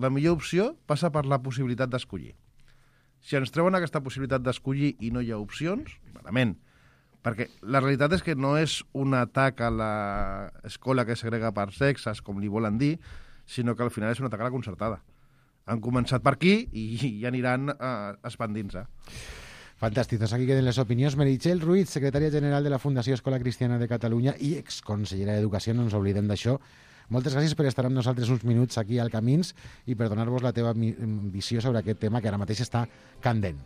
la millor opció passa per la possibilitat d'escollir. Si ens treuen aquesta possibilitat d'escollir i no hi ha opcions, malament. Perquè la realitat és que no és un atac a l'escola que segrega per sexes, com li volen dir, sinó que al final és un atac a la concertada. Han començat per aquí i ja aniran eh, expandint-se. Fantàstic, doncs aquí queden les opinions. Meritxell Ruiz, secretària general de la Fundació Escola Cristiana de Catalunya i exconsellera d'Educació, no ens oblidem d'això. Moltes gràcies per estar amb nosaltres uns minuts aquí al Camins i per donar-vos la teva mi- visió sobre aquest tema que ara mateix està candent.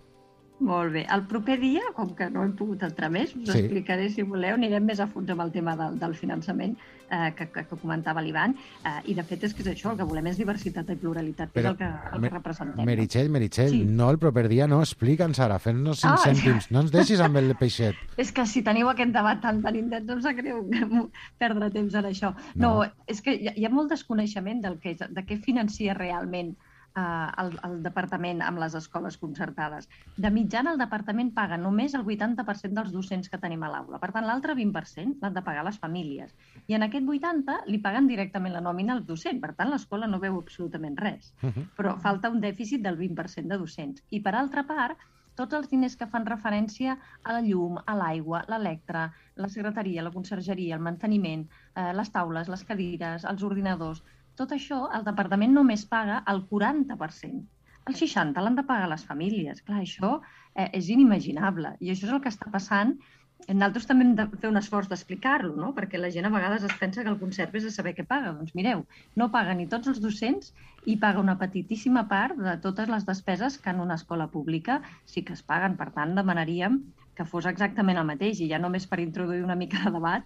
Molt bé. El proper dia, com que no hem pogut entrar més, us Sí. explicaré, si voleu, anirem més a fons amb el tema del, del finançament eh, que, que, que comentava l'Ivan. Eh, I, de fet, és que és això, el que volem és diversitat i pluralitat, que Però, és el que, el Me- que representem. Meritxell, Meritxell, Sí. no el proper dia, no, explica'ns ara, fes-nos cinc Ah, cèntims, no ens deixis amb el peixet. És que si teniu aquest debat tan, tan intens, em sap greu perdre temps en això. No, No. és que hi ha, hi ha molt desconeixement del que, és- de què financia realment eh, el, el departament amb les escoles concertades. De mitjana, el departament paga només el vuitanta per cent dels docents que tenim a l'aula. Per tant, l'altre vint per cent l'han de pagar les famílies. I en aquest vuitanta li paguen directament la nòmina al docent. Per tant, l'escola no veu absolutament res. Uh-huh. Però falta un dèficit del vint per cent de docents. I, per altra part, tots els diners que fan referència a la llum, a l'aigua, l'electre, la secretaria, la consergeria, el manteniment, eh, les taules, les cadires, els ordinadors, tot això el departament només paga el quaranta per cent. El seixanta per cent l'han de pagar les famílies. Clar, això eh, és inimaginable. I això és el que està passant. Nosaltres també hem de fer un esforç d'explicar-lo, no? Perquè la gent a vegades es pensa que el concert és de saber què paga. Doncs mireu, no paga ni tots els docents i paga una petitíssima part de totes les despeses que en una escola pública sí que es paguen. Per tant, demanaríem que fos exactament el mateix. I ja només per introduir una mica de debat,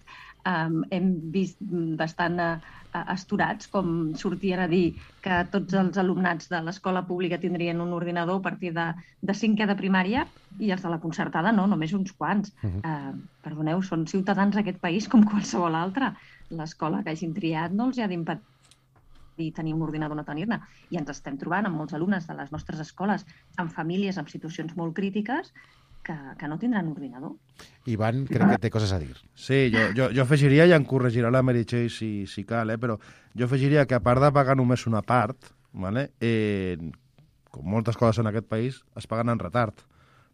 um, hem vist bastant uh, astorats com sortien a dir que tots els alumnats de l'escola pública tindrien un ordinador a partir de, de cinquè de primària i els de la concertada no, només uns quants. Uh-huh. uh, perdoneu, són ciutadans d'aquest país com qualsevol altre. L'escola que hagin triat no els ha d'impedir tenir un ordinador o no tenir-ne. I ens estem trobant amb molts alumnes de les nostres escoles, amb famílies en situacions molt crítiques, que, que no tindran ordinador. Ivan, crec que té coses a dir. Sí, jo, jo, jo afegiria, i em corregirà la Meritxell si, si cal, eh, però jo afegiria que a part de pagar només una part, vale, eh, com moltes coses en aquest país, es paguen en retard.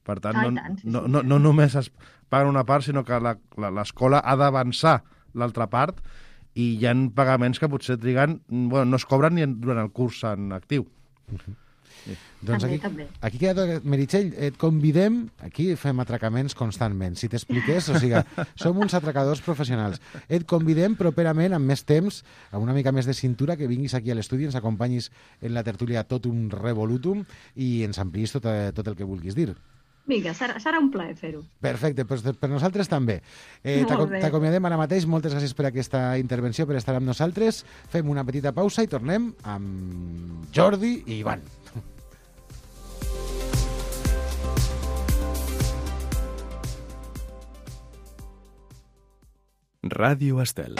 Per tant, Ah, i no, tant, sí, no, sí. no, no només es paguen una part, sinó que la- la- l'escola ha d'avançar l'altra part i hi ha pagaments que potser triguen, bueno, no es cobren ni en- durant el curs en actiu. Doncs També, aquí, també. aquí queda, Meritxell, et convidem, aquí fem atracaments constantment, si t'expliqués, o sigui, som uns atracadors professionals. Et convidem properament, amb més temps, amb una mica més de cintura, que vinguis aquí a l'estudi, ens acompanyis en la tertúlia tot un revolutum i ens ampliïs tot, eh, tot el que vulguis dir. Vinga, serà, serà un plaer fer-ho. Perfecte, doncs per nosaltres també. Eh, Molt t'aco- bé. T'acomiadem ara mateix, moltes gràcies per aquesta intervenció, per estar amb nosaltres. Fem una petita pausa i tornem amb Jordi i Ivan. Ràdio Estel.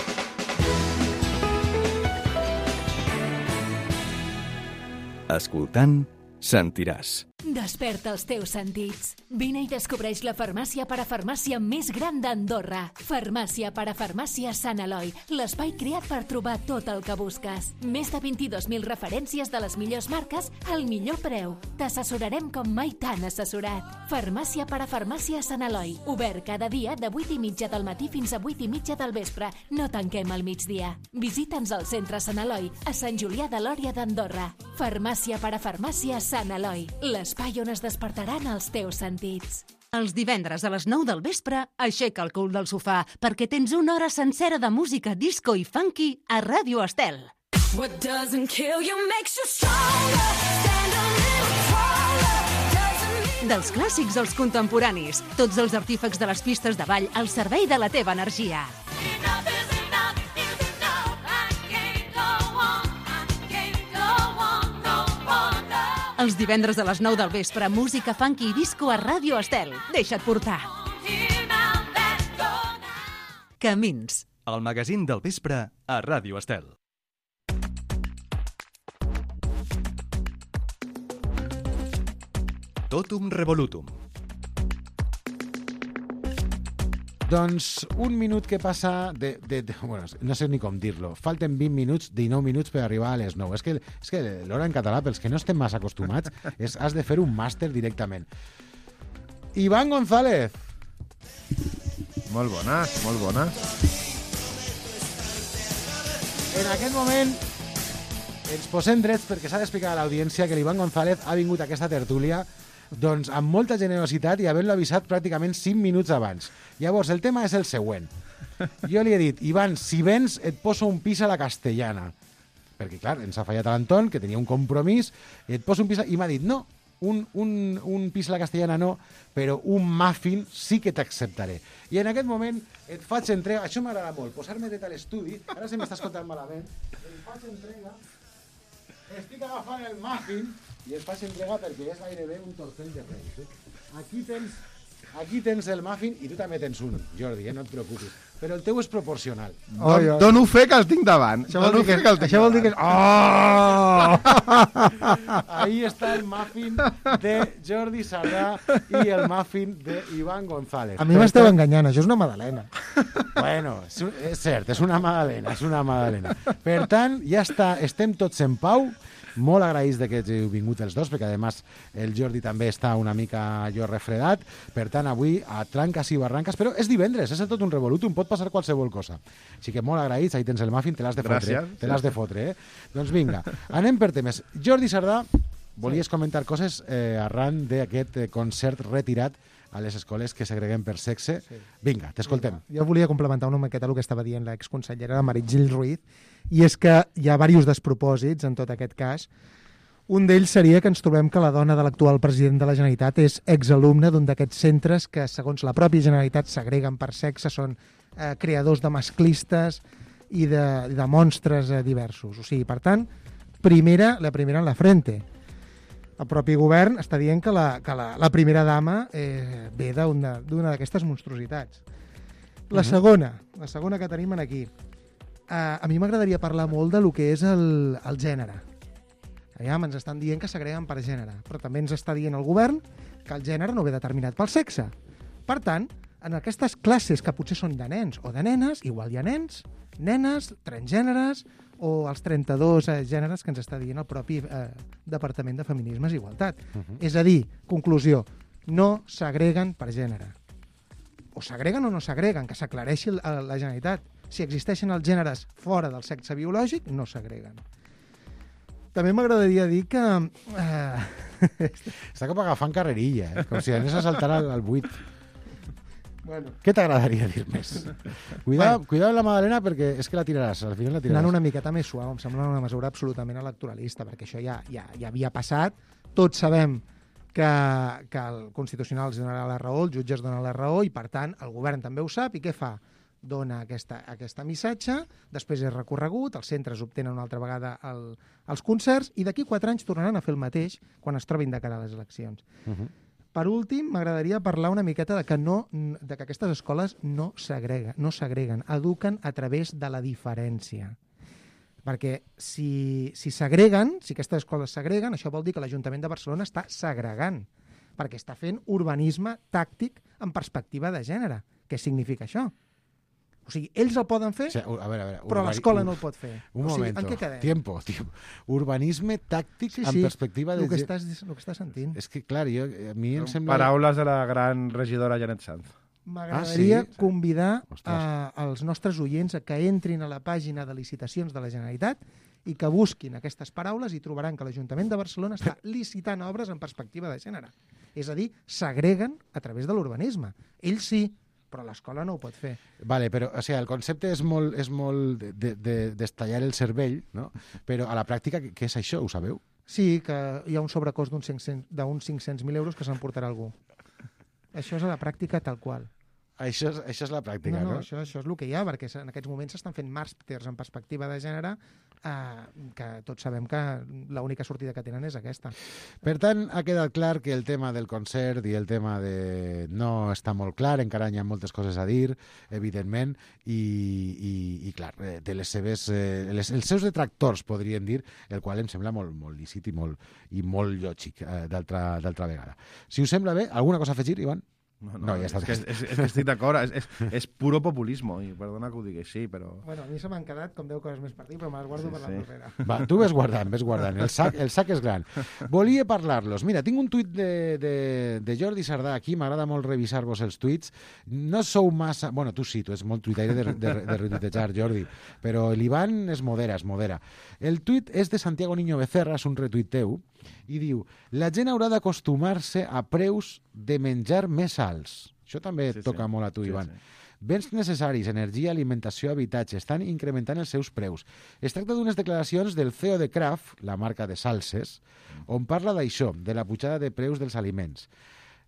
Escoltant, sentiràs. Desperta els teus sentits. Vine i descobreix la farmàcia parafarmàcia més gran d'Andorra. Farmàcia parafarmàcia Sant Eloi, l'espai creat per trobar tot el que busques. Més de vint-i-dos mil referències de les millors marques al millor preu. T'assessorarem com mai t'han assessorat. Farmàcia parafarmàcia Sant Eloi, obert cada dia de vuit i mitja del matí fins a vuit i mitja del vespre. No tanquem al migdia. Visita'ns al centre Sant Eloi, a Sant Julià de Lòria d'Andorra. Farmàcia parafarmàcia Sant Eloi, l'espai on es despertaran els teus sentits. Els divendres a les nou del vespre, aixeca el cul del sofà perquè tens una hora sencera de música disco i funky a Ràdio Estel. What doesn't kill you makes you stronger. Stand a little taller. Doesn't mean... Dels clàssics als contemporanis, tots els artífecs de les pistes de ball al servei de la teva energia. Enough is enough is enough. I can't go on. I can't go on no more. No. Els divendres a les nou del vespre, música funky i disco a Ràdio Estel. Deixa't portar. Here now, let's go now. Camins. El magazín del vespre a Ràdio Estel. Totum revolutum. Doncs un minut que passa de, de, de... Bueno, no sé ni com dir-lo. Falten vint minuts, dinou minuts per arribar a les nou. És que, és que l'hora en català, pels que no estem massa acostumats, és, has de fer un màster directament. Iván González. Molt bones, molt bones. En aquest moment ens posem drets perquè s'ha d'explicar a l'audiència que l'Iván González ha vingut a aquesta tertúlia doncs amb molta generositat i havent-lo avisat pràcticament cinc minuts abans. Llavors, el tema és el següent. Jo li he dit, Iván, si vens et poso un pis a la castellana. Perquè, clar, ens ha fallat a l'Anton, que tenia un compromís, i et poso un pis a... I m'ha dit, no, un, un, un pis a la castellana no, però un muffin sí que t'acceptaré. I en aquest moment et faig entrega... Això m'agrada molt, posar-me dret a l'estudi. Ara se m'està escoltant malament. Et faig entrega... Estic agafant el muffin i et faig entrega perquè és gairebé un tortell de reis. Eh? Aquí tens, aquí tens el muffin i tu també tens un, Jordi, eh? No et preocupis. Però el teu és proporcional. Oh, Don, dono fe que el tinc davant. Això vol dir que, que, el això vol dir que... Oh! Ahí està el muffin de Jordi Sardà i el muffin d'Iván González. A mi m'esteu enganyant, això és una magdalena. Bueno, és, és cert, és una magdalena, és una magdalena. Per tant, ja està, estem tots en pau. Molt agraïts de que heu vingut els dos, perquè, a més, el Jordi també està una mica allò refredat. Per tant, avui, a tranques i barranques, però és divendres, és tot un revolutum, pot passar qualsevol cosa. Així que molt agraïts, ahí tens el muffin, te l'has de fotre. Gràcies. Te l'has de fotre, eh? Doncs vinga, anem per temes. Jordi Sardà, volies comentar coses eh, arran d'aquest eh, concert retirat a les escoles que segreguen per sexe. Sí. Vinga, t'escoltem. Jo volia complementar una miqueta el que estava dient l'exconsellera Meritxell Ruiz, i és que hi ha diversos despropòsits en tot aquest cas. Un d'ells seria que ens trobem que la dona de l'actual president de la Generalitat és exalumne d'un d'aquests centres que, segons la pròpia Generalitat, segreguen per sexe, són eh, creadors de masclistes i de, de monstres eh, diversos. O sigui, per tant, primera, la primera en la frente. El propi govern està dient que la, que la, la primera dama eh, ve d'una d'aquestes monstruositats. La segona, la segona que tenim aquí. Uh, a mi m'agradaria parlar molt de lo que és el, el gènere. Aviam, ens estan dient que segreguen per gènere, però també ens està dient el govern que el gènere no ve determinat pel sexe. Per tant, en aquestes classes que potser són de nens o de nenes, igual hi ha nens, nenes, transgèneres o els trenta-dos eh, gèneres que ens està dient el propi eh, Departament de Feminismes i Igualtat. Uh-huh. És a dir, conclusió, no segreguen per gènere. O segreguen o no segreguen, que s'aclareixi la, la Generalitat. Si existeixen els gèneres fora del sexe biològic, no segreguen. També m'agradaria dir que... Eh... Està com agafant carrerilla, eh? Com si anés a saltar al, al buit. Bueno. Què t'agradaria dir més? Cuidado, bueno. cuidado amb la Madalena perquè és que la tiraràs, al final la tiraràs. Anant una miqueta més suau, em sembla una mesura absolutament electoralista, perquè això ja, ja, ja havia passat. Tots sabem que, que el Constitucional els donarà la raó, els jutges donen la raó, i per tant el govern també ho sap, i què fa? Dona aquesta, aquesta missatge, després és recorregut, els centres obtenen una altra vegada el, els concerts, i d'aquí quatre anys tornaran a fer el mateix quan es trobin de cara a les eleccions. Uh-huh. Per últim, m'agradaria parlar una miqueta de que, no, de que aquestes escoles no segreguen, no segreguen, eduquen a través de la diferència. Perquè si, si segreguen, si aquestes escoles segreguen, això vol dir que l'Ajuntament de Barcelona està segregant, perquè està fent urbanisme tàctic en perspectiva de gènere. Què significa això? O sigui, ells el poden fer, o sigui, a veure, a veure, però l'escola no el pot fer. Un o sigui, moment, en què quedem? Tiempo, tiempo. Urbanisme tàctic sí, sí, en perspectiva de... el que estàs, el que estàs sentint. És que, clar, jo, a mi em sembla... Paraules de la gran regidora Janet Sanz. M'agradaria ah, sí? convidar a, als nostres oients a que entrin a la pàgina de licitacions de la Generalitat i que busquin aquestes paraules i trobaran que l'Ajuntament de Barcelona està licitant obres en perspectiva de gènere. És a dir, segreguen a través de l'urbanisme. Ells sí, però l'escola no ho pot fer. Vale, però o sigui, el concepte és molt, és molt de, de, de, d'estallar el cervell, no? Però a la pràctica, què, què és això? Ho sabeu? Sí, que hi ha un sobrecost d'uns cinc-cents mil euros que s'emportarà algú. Això és a la pràctica tal qual. Això és, això és la pràctica, no? no? No, això, això és el que hi ha, perquè en aquests moments s'estan fent màsters en perspectiva de gènere eh, que tots sabem que l'única sortida que tenen és aquesta. Per tant, ha quedat clar que el tema del concert i el tema de... no està molt clar, encara hi ha moltes coses a dir, evidentment, i, i, i clar, de les seves, eh, les, els seus detractors, podríem dir, el qual em sembla molt, molt lícit i molt, i molt lògic eh, d'altra d'altra vegada. Si us sembla bé, alguna cosa a afegir, Ivan? No, no, No, ja és, està. que, és, és que estic d'acord, és, és, és puro populismo, i perdona que ho digui així, però... Bueno, a mi se m'han quedat com deu coses més per dir, però me les guardo Sí, per la sí. propera. Va, tu ves guardant, ves guardant. El sac, el sac és gran. Volia parlar-los. Mira, tinc un tuit de, de, de Jordi Sardà aquí, m'agrada molt revisar-vos els tuits. No sou massa... Bueno, tu sí, tu ets molt tuitaire de, de, de retuitejar, Jordi, però l'Ivan es modera, es modera. El tuit és de Santiago Niño Becerra, és un retuit teu, i diu: la gent haurà d'acostumar-se a preus de menjar més alts. Això també Sí, et toca sí. molt a tu, Sí, Ivan. sí. Béns necessaris, energia, alimentació, habitatge, estan incrementant els seus preus. Es tracta d'unes declaracions del C E O de Kraft, la marca de salses, on parla d'això, de la pujada de preus dels aliments.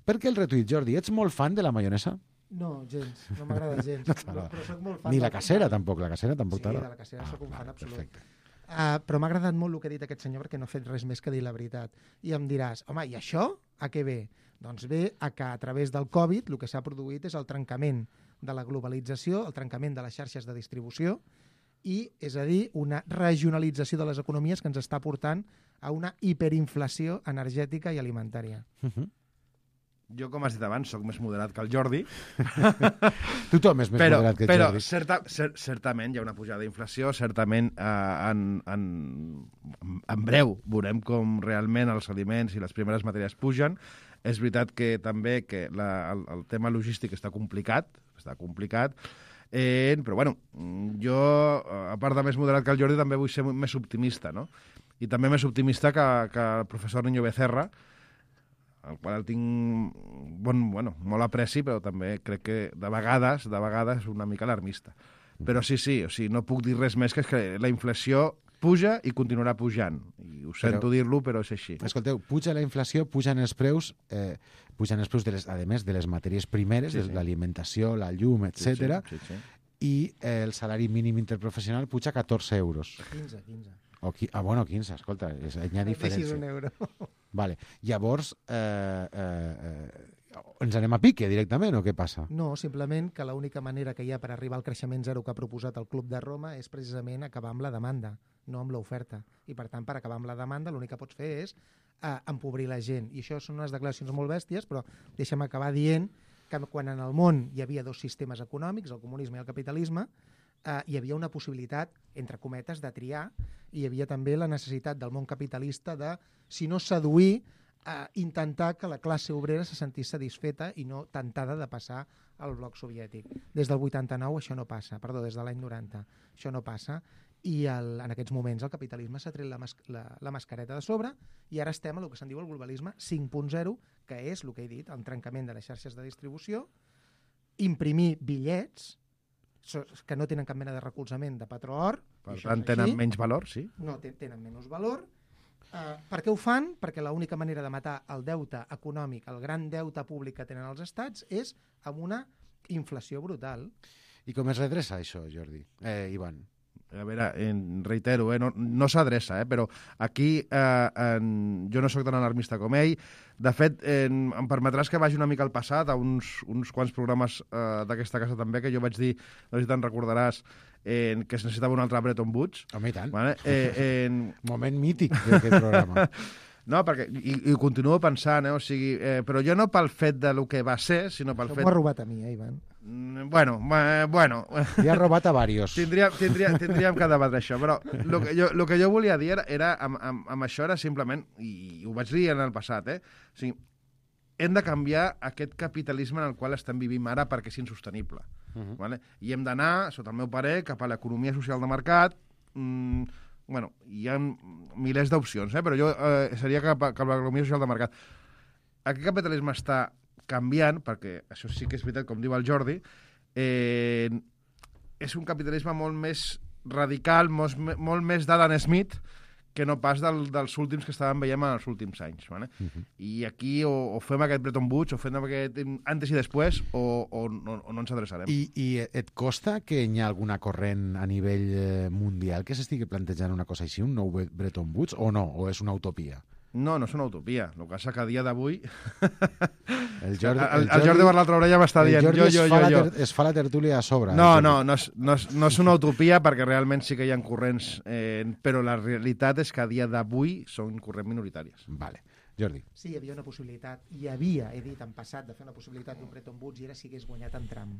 Per què el retuit, Jordi? Ets molt fan de la maionesa? No, gens, no m'agrada gens. No però, t'agrada. però soc molt fan Ni del- la casera, tampoc. La casera tampoc Sí, de t'agrada. la casera soc un fan vale, absolut. perfecte. Uh, però m'ha agradat molt el que ha dit aquest senyor perquè no ha fet res més que dir la veritat. I em diràs, home, i això a què ve? Doncs ve a que a través del Covid el que s'ha produït és el trencament de la globalització, el trencament de les xarxes de distribució i, és a dir, una regionalització de les economies que ens està portant a una hiperinflació energètica i alimentària. Uh -huh. Jo, com has dit abans, sóc més moderat que el Jordi, Tothom és més però, moderat que el però Jordi. certa, cer, certament hi ha una pujada d'inflació, certament eh, en, en, en breu veurem com realment els aliments i les primeres matèries pugen. És veritat que també que la, el, el tema logístic està complicat, està complicat, eh, però bueno, jo, a part de més moderat que el Jordi, també vull ser més optimista, no? I també més optimista que, que el professor Niño Becerra, el qual el tinc bon, bueno, molt apreci, però també crec que de vegades, de vegades és una mica alarmista. Però sí, sí, o sigui, no puc dir res més que és que la inflació puja i continuarà pujant. I ho sento Però- dir-lo, però és així. Escolteu, puja la inflació, pujan els preus, eh, pujan els preus, de les, a més, de les matèries primeres, Sí, sí, sí. l'alimentació, la llum, etcètera, Sí, sí, sí. i eh, el salari mínim interprofessional puja catorze euros. quinze, quinze. O qui, ah, bueno, quinze, escolta, és, hi ha Deixis un diferència. euro. Vale. Llavors, eh, eh, eh, ens anem a pique directament o què passa? No, simplement que l'única manera que hi ha per arribar al creixement zero que ha proposat el Club de Roma és precisament acabar amb la demanda, no amb l'oferta. I, per tant, per acabar amb la demanda, l'únic que pots fer és eh, empobrir la gent. I això són unes declaracions molt bèsties, però deixa'm acabar dient que quan en el món hi havia dos sistemes econòmics, el comunisme i el capitalisme, eh, hi havia una possibilitat, entre cometes, de triar, i hi havia també la necessitat del món capitalista de, si no seduir, eh, intentar que la classe obrera se sentís satisfeta i no tentada de passar al bloc soviètic. Des del vuitanta-nou això no passa, perdó, des de l'any noranta, això no passa, i el, en aquests moments el capitalisme s'ha tret la, mas, la, la mascareta de sobre i ara estem a el que se'n diu el globalisme cinc punt zero, que és el que he dit, el trencament de les xarxes de distribució, imprimir bitllets so- que no tenen cap mena de recolzament de patró or. Per i això tant, és tenen així. menys valor, sí. No, te- tenen menys valor. Uh, per què ho fan? Perquè l'única manera de matar el deute econòmic, el gran deute públic que tenen els estats, és amb una inflació brutal. I com es redreça això, Jordi? Eh, Ivan. A veure, en, reitero, eh, no, no s'adreça, eh, però aquí eh, en, jo no sóc tan alarmista com ell. De fet, en, em permetràs que vagi una mica al passat, a uns, uns quants programes eh, d'aquesta casa també, que jo vaig dir, no sé si te'n recordaràs, eh, que es necessitava un altre Bretton Woods. Home, i tant. Vale? Eh, en, Moment mític d'aquest programa. no, perquè, i, i ho continuo pensant, eh, o sigui, eh, però jo no pel fet de lo que va ser, sinó pel Això fet... m'ho ha robat a mi, eh, Ivan? Mm, Bueno, eh, bueno... Li ha robat a varios. Tindríem, tindríem, tindríem que debatre això, però el que jo, lo que jo volia dir era, era amb, amb, amb això era simplement, i ho vaig dir en el passat, eh? O sigui, hem de canviar aquest capitalisme en el qual estem vivint ara perquè és insostenible. Uh -huh. Vale? I hem d'anar, sota el meu parer, cap a l'economia social de mercat. Mm, bueno, hi ha milers d'opcions, eh? Però jo eh, seria cap a, cap a l'economia social de mercat. Aquest capitalisme està canviant, perquè això sí que és veritat, com diu el Jordi, eh, és un capitalisme molt més radical, molt, molt més d'Adam Smith, que no pas del, dels últims que estàvem veient en els últims anys. Vale? Uh-huh. I aquí o, o fem aquest Bretton Woods, o fem aquest antes i després, o, o, no, o no ens adreçarem. I, I et costa que hi ha alguna corrent a nivell eh, mundial que s'estigui plantejant una cosa així, un nou Bretton Woods, o no? O és una utopia? No, no és una utopia. El que passa que a dia d'avui... El Jordi, el, el, el Jordi per l'altra orella m'està dient jo, jo, jo, jo. Ter, es fa la tertúlia a sobre. No, no, no és, no, és, no és una utopia perquè realment sí que hi ha corrents, eh, però la realitat és que a dia d'avui són corrents minoritàries. Vale. Jordi. Sí, hi havia una possibilitat. Hi havia, he dit en passat, de fer una possibilitat d'un Bretton Woods i era si hagués guanyat en Trump.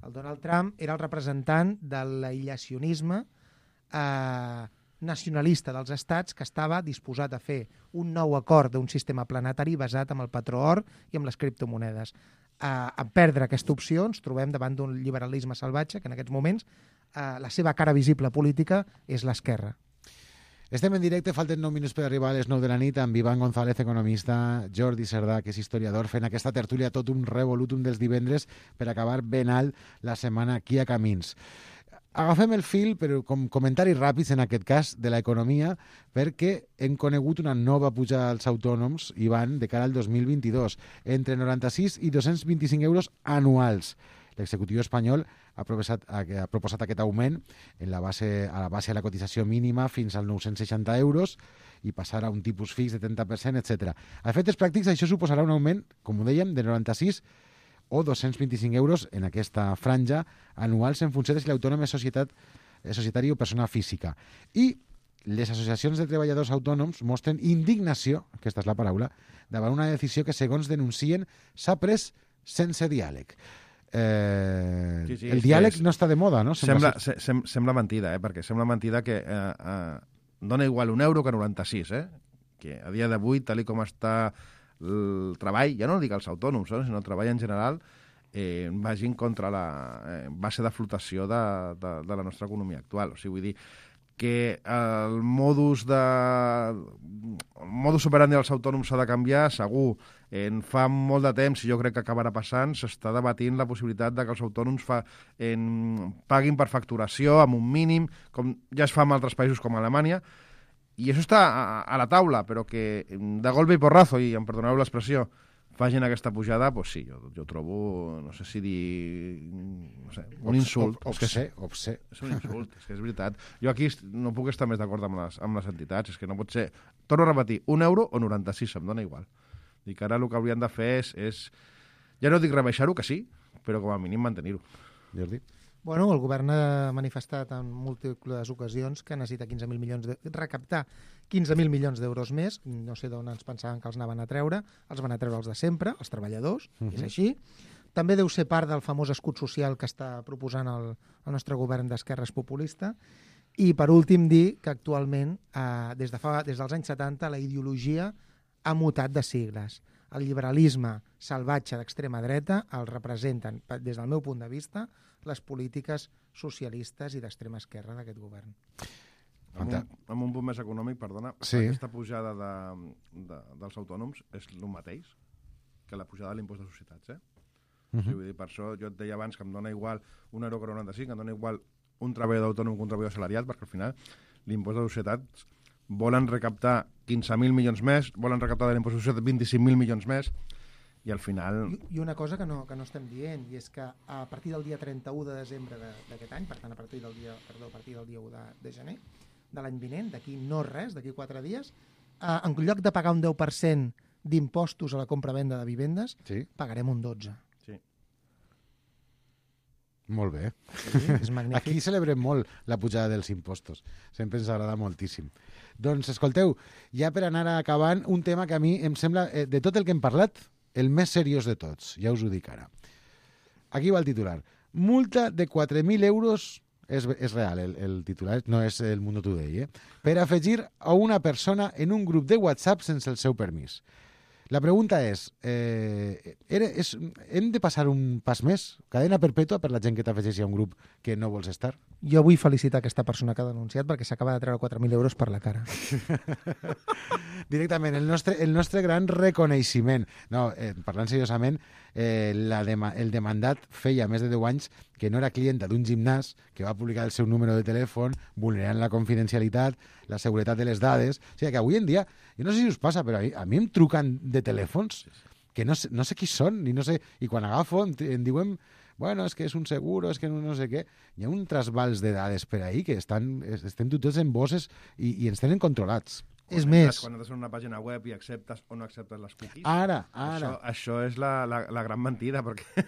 El Donald Trump era el representant de l'aïllacionisme eh, nacionalista dels estats que estava disposat a fer un nou acord d'un sistema planetari basat en el patró or i en les criptomonedes. Eh, en perdre aquesta opció ens trobem davant d'un liberalisme salvatge que en aquests moments eh, la seva cara visible política és l'esquerra. Estem en directe, falten nou minuts per arribar a les nou de la nit amb Ivan González, economista, Jordi Cerdà, que és historiador, fent aquesta tertúlia tot un revolutum dels divendres per acabar ben alt la setmana aquí a Camins. Agafem el fil, però com comentaris ràpids, en aquest cas, de l'economia, perquè hem conegut una nova pujada als autònoms, Ivan, de cara al dos mil vint-i-dos, entre noranta-sis i dos-cents vint-i-cinc euros anuals. L'executiu espanyol ha proposat, ha proposat aquest augment en la base, a la base de la cotització mínima fins als nou-cents seixanta euros i passar a un tipus fix de trenta per cent, etcètera. A efectes pràctics, això suposarà un augment, com ho dèiem, de noranta-sis o dos-cents vint-i-cinc euros en aquesta franja anuals en funció de si l'autònom és societat, és societari o persona física. I les associacions de treballadors autònoms mostren indignació, aquesta és la paraula, davant una decisió que, segons denuncien, s'ha pres sense diàleg. Eh, sí, sí, el diàleg és, no està de moda, no? Sembla, sembla, sem, sembla mentida, eh? Perquè sembla mentida que eh, eh, dona igual un euro que noranta-sis, eh? Que a dia d'avui, tal com està el treball, ja no dic els autònoms, eh, sinó el treball en general, eh, vagin contra la eh, base de flotació de, de, de la nostra economia actual. O sigui, vull dir que el modus de el modus operandi dels autònoms s'ha de canviar, segur. En fa molt de temps, i jo crec que acabarà passant, s'està debatint la possibilitat de que els autònoms fa, en, paguin per facturació amb un mínim, com ja es fa en altres països com Alemanya. I això està a, a la taula, però que de golpe i porrazo, i em perdoneu l'expressió, facin aquesta pujada, doncs sí, jo, jo trobo, no sé si dir, no sé, un insult. Obsè, obsè. És un insult, és que és veritat. Jo aquí no puc estar més d'acord amb les, amb les entitats, és que no pot ser, torno a repetir, un euro o noranta-sis, em dona igual. Dic, ara el que haurien de fer és, és ja no dic rebaixar-ho, que sí, però com a mínim mantenir-ho. Jordi? Bueno, el govern ha manifestat en múltiples ocasions que necessita quinze mil milions de... recaptar quinze mil milions d'euros més. No sé d'on ens pensaven que els anaven a treure. Els van a treure els de sempre, els treballadors, uh-huh. És així. També deu ser part del famós escut social que està proposant el, el nostre govern d'esquerres populista. I, per últim, dir que actualment, eh, des, de fa, des dels anys setanta, la ideologia ha mutat de sigles. El liberalisme salvatge d'extrema dreta el representen, des del meu punt de vista, les polítiques socialistes i d'extrema esquerra d'aquest govern. Amb un, amb un punt més econòmic, perdona, sí. Aquesta pujada de, de, dels autònoms és el mateix que la pujada de l'impost de societats, eh? Uh-huh. Sí, vull dir, per això jo et deia abans que em dona igual un euro que noranta-cinc, em dona igual un treballador autònom que un treballador assalariat, perquè al final l'impost de societats volen recaptar quinze mil milions més, volen recaptar de l'impost de societats vint-i-cinc mil milions més, i al final... I, i una cosa que no, que no estem dient, i és que a partir del dia trenta-u de desembre d'aquest any, per tant, a partir del dia, perdó, a partir del dia u de, de gener de l'any vinent, d'aquí no res, d'aquí quatre dies, eh, en lloc de pagar un deu per cent d'impostos a la compra-venda de vivendes, sí. Pagarem un dotze. Sí. Molt bé. Sí, és magnífic. Aquí celebrem molt la pujada dels impostos. Sempre ens agrada moltíssim. Doncs, escolteu, ja per anar acabant, un tema que a mi em sembla, eh, de tot el que hem parlat, el més seriós de tots, ja us ho dic ara. Aquí va el titular. Multa de quatre mil euros, és, és real el, el titular, no és el Mundo Today, eh? Per afegir a una persona en un grup de WhatsApp sense el seu permís. La pregunta és, eh, era, és, hem de passar un pas més? Cadena perpètua per la gent que t'afegeixi a un grup que no vols estar? Jo vull felicitar aquesta persona que ha denunciat perquè s'acaba de treure quatre mil euros per la cara. Directament, el nostre, el nostre gran reconeixement. No, eh, parlant seriosament, eh, la dema, el demandat feia més de deu anys que no era clienta d'un gimnàs que va publicar el seu número de telèfon vulnerant la confidencialitat, la seguretat de les dades. O sigui que avui en dia, jo no sé si us passa, però a mi, a mi em truquen de telèfons que no sé, no sé qui són, ni no sé, i quan agafo em, em diuen bueno, és que és un seguro, és que no, no sé què. Hi ha un trasbals de dades per ahí que estan, estem tots en bosses i, i ens tenen controlats. És Quan més... entres- Quan entres en una pàgina web i acceptes o no acceptes les cookies. Ara, ara. Això, això és la, la, la gran mentida, perquè...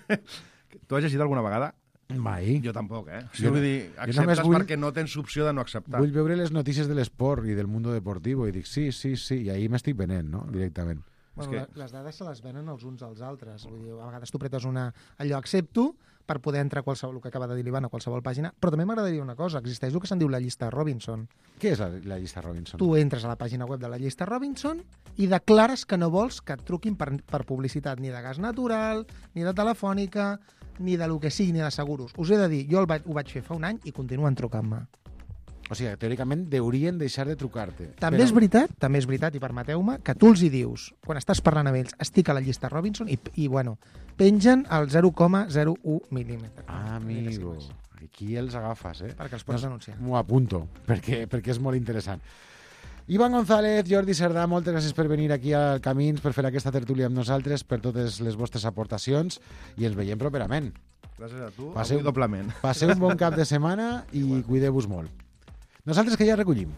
Tu has llegit alguna vegada? Mai. Jo tampoc, eh? O Jo sigui, vull no- dir, jo només acceptes vull- perquè no tens opció de no acceptar. Vull veure les notícies de l'esport i del mundo deportivo i dic sí, sí, sí, i ahir m'estic venent, no?, directament. Bueno, que- que... Les dades se les venen els uns als altres. Vull dir, a vegades tu pretes una... allò accepto per poder entrar a qualsevol, el que acaba de dir l'Ivan, a qualsevol pàgina, però també m'agradaria una cosa, existeix el que se'n diu la llista Robinson. Què és la, la llista Robinson? Tu entres a la pàgina web de la llista Robinson i declares que no vols que et truquin per, per publicitat ni de gas natural, ni de telefònica, ni de lo que sigui, ni de seguros. Us he de dir, jo el vaig, ho vaig fer fa un any i continuen trucant-me. O sigui, teòricament deurien deixar de trucar-te. També és veritat, també és veritat, i permeteu-me, que tu els hi dius, quan estàs parlant amb ells, estic a la llista Robinson i, i bueno, pengen al zero coma zero u mil·límetre. Ah, amigo, aquí els agafes, eh? Perquè els pots denunciar. M'ho apunto, perquè, perquè és molt interessant. Ivan González, Jordi Cerdà, moltes gràcies per venir aquí al Camins, per fer aquesta tertúlia amb nosaltres, per totes les vostres aportacions, i ens veiem properament. Gràcies a tu, Passeu- avui doblement. Passeu un bon cap de setmana i cuideu-vos molt. Nosaltres que ja recollim.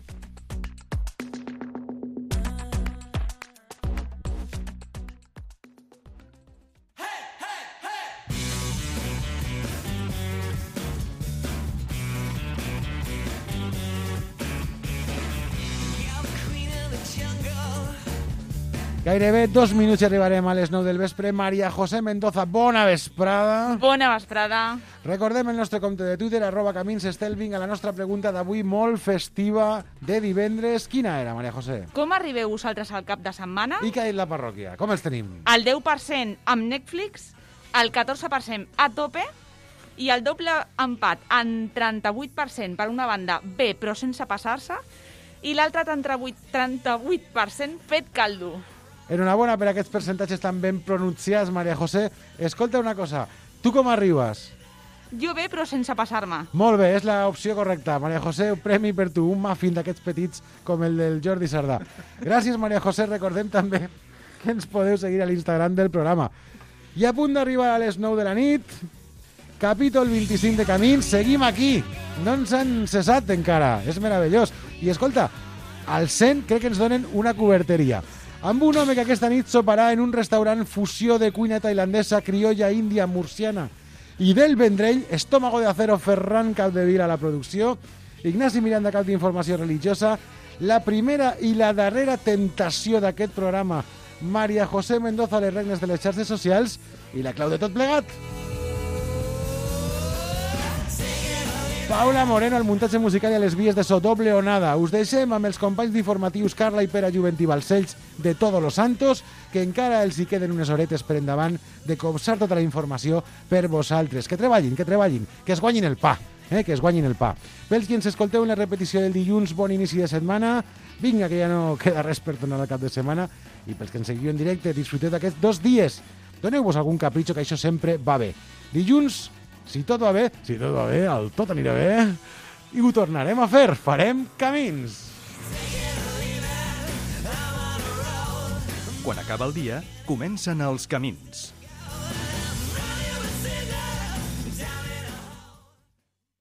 Gairebé dos minuts i arribarem a les nou del vespre. Maria José Mendoza, bona vesprada. Bona vesprada. Recordem el nostre compte de Twitter, arroba Camins Estelving, a la nostra pregunta d'avui molt festiva de divendres. Quina era, Maria José? Com arribeu vosaltres al cap de setmana? I què ha dit la parròquia? Com els tenim? El deu per cent amb Netflix, el catorze per cent a tope i el doble empat en trenta-vuit per cent per una banda bé però sense passar-se i l'altre trenta-vuit per cent fet caldo. Enhorabona per aquests percentatges tan ben pronunciats, Maria José. Escolta una cosa, tu com arribes? Jo bé però sense passar-me. Molt bé, és l'opció correcta. Maria José, un premi per tu, un muffin d'aquests petits com el del Jordi Cerdà. Gràcies, Maria José. Recordem també que ens podeu seguir a l'Instagram del programa. I a punt d'arribar a les nou de la nit, capítol vint-i-cinc de Camins, seguim aquí. No ens han cessat encara, és meravellós. I escolta, al cent crec que ens donen una coberteria. Amb un home que aquesta nit soparà en un restaurant fusió de cuina tailandesa, criolla, índia, murciana i del Vendrell, Estómago de Acero, Ferran Capdevila a la producció, Ignasi Miranda, cap d'informació religiosa, la primera i la darrera tentació d'aquest programa, Maria José Mendoza, les regnes de les xarxes socials i la clau de tot plegat. Paula Moreno, al muntatge musical i a les vies de so, doble o nada. Us deixem amb els companys d'informatius Carla i Pere Juventí Balcells de Todos los Santos, que encara els hi queden unes horetes per endavant de copsar tota la informació per vosaltres. Que treballin, que treballin, que es guanyin el pa, eh? que es guanyin el pa. Pels qui ens escolteu en la repetició del dilluns, bon inici de setmana. Vinga, que ja no queda res per tornar al cap de setmana. I pels que ens seguiu en directe, disfruteu d'aquests dos dies. Doneu-vos algun capritxo, que això sempre va bé. Dilluns, si tot va bé, si tot va bé, el tot anirà bé, i ho tornarem a fer, farem camins. Quan acaba el dia, comencen els camins.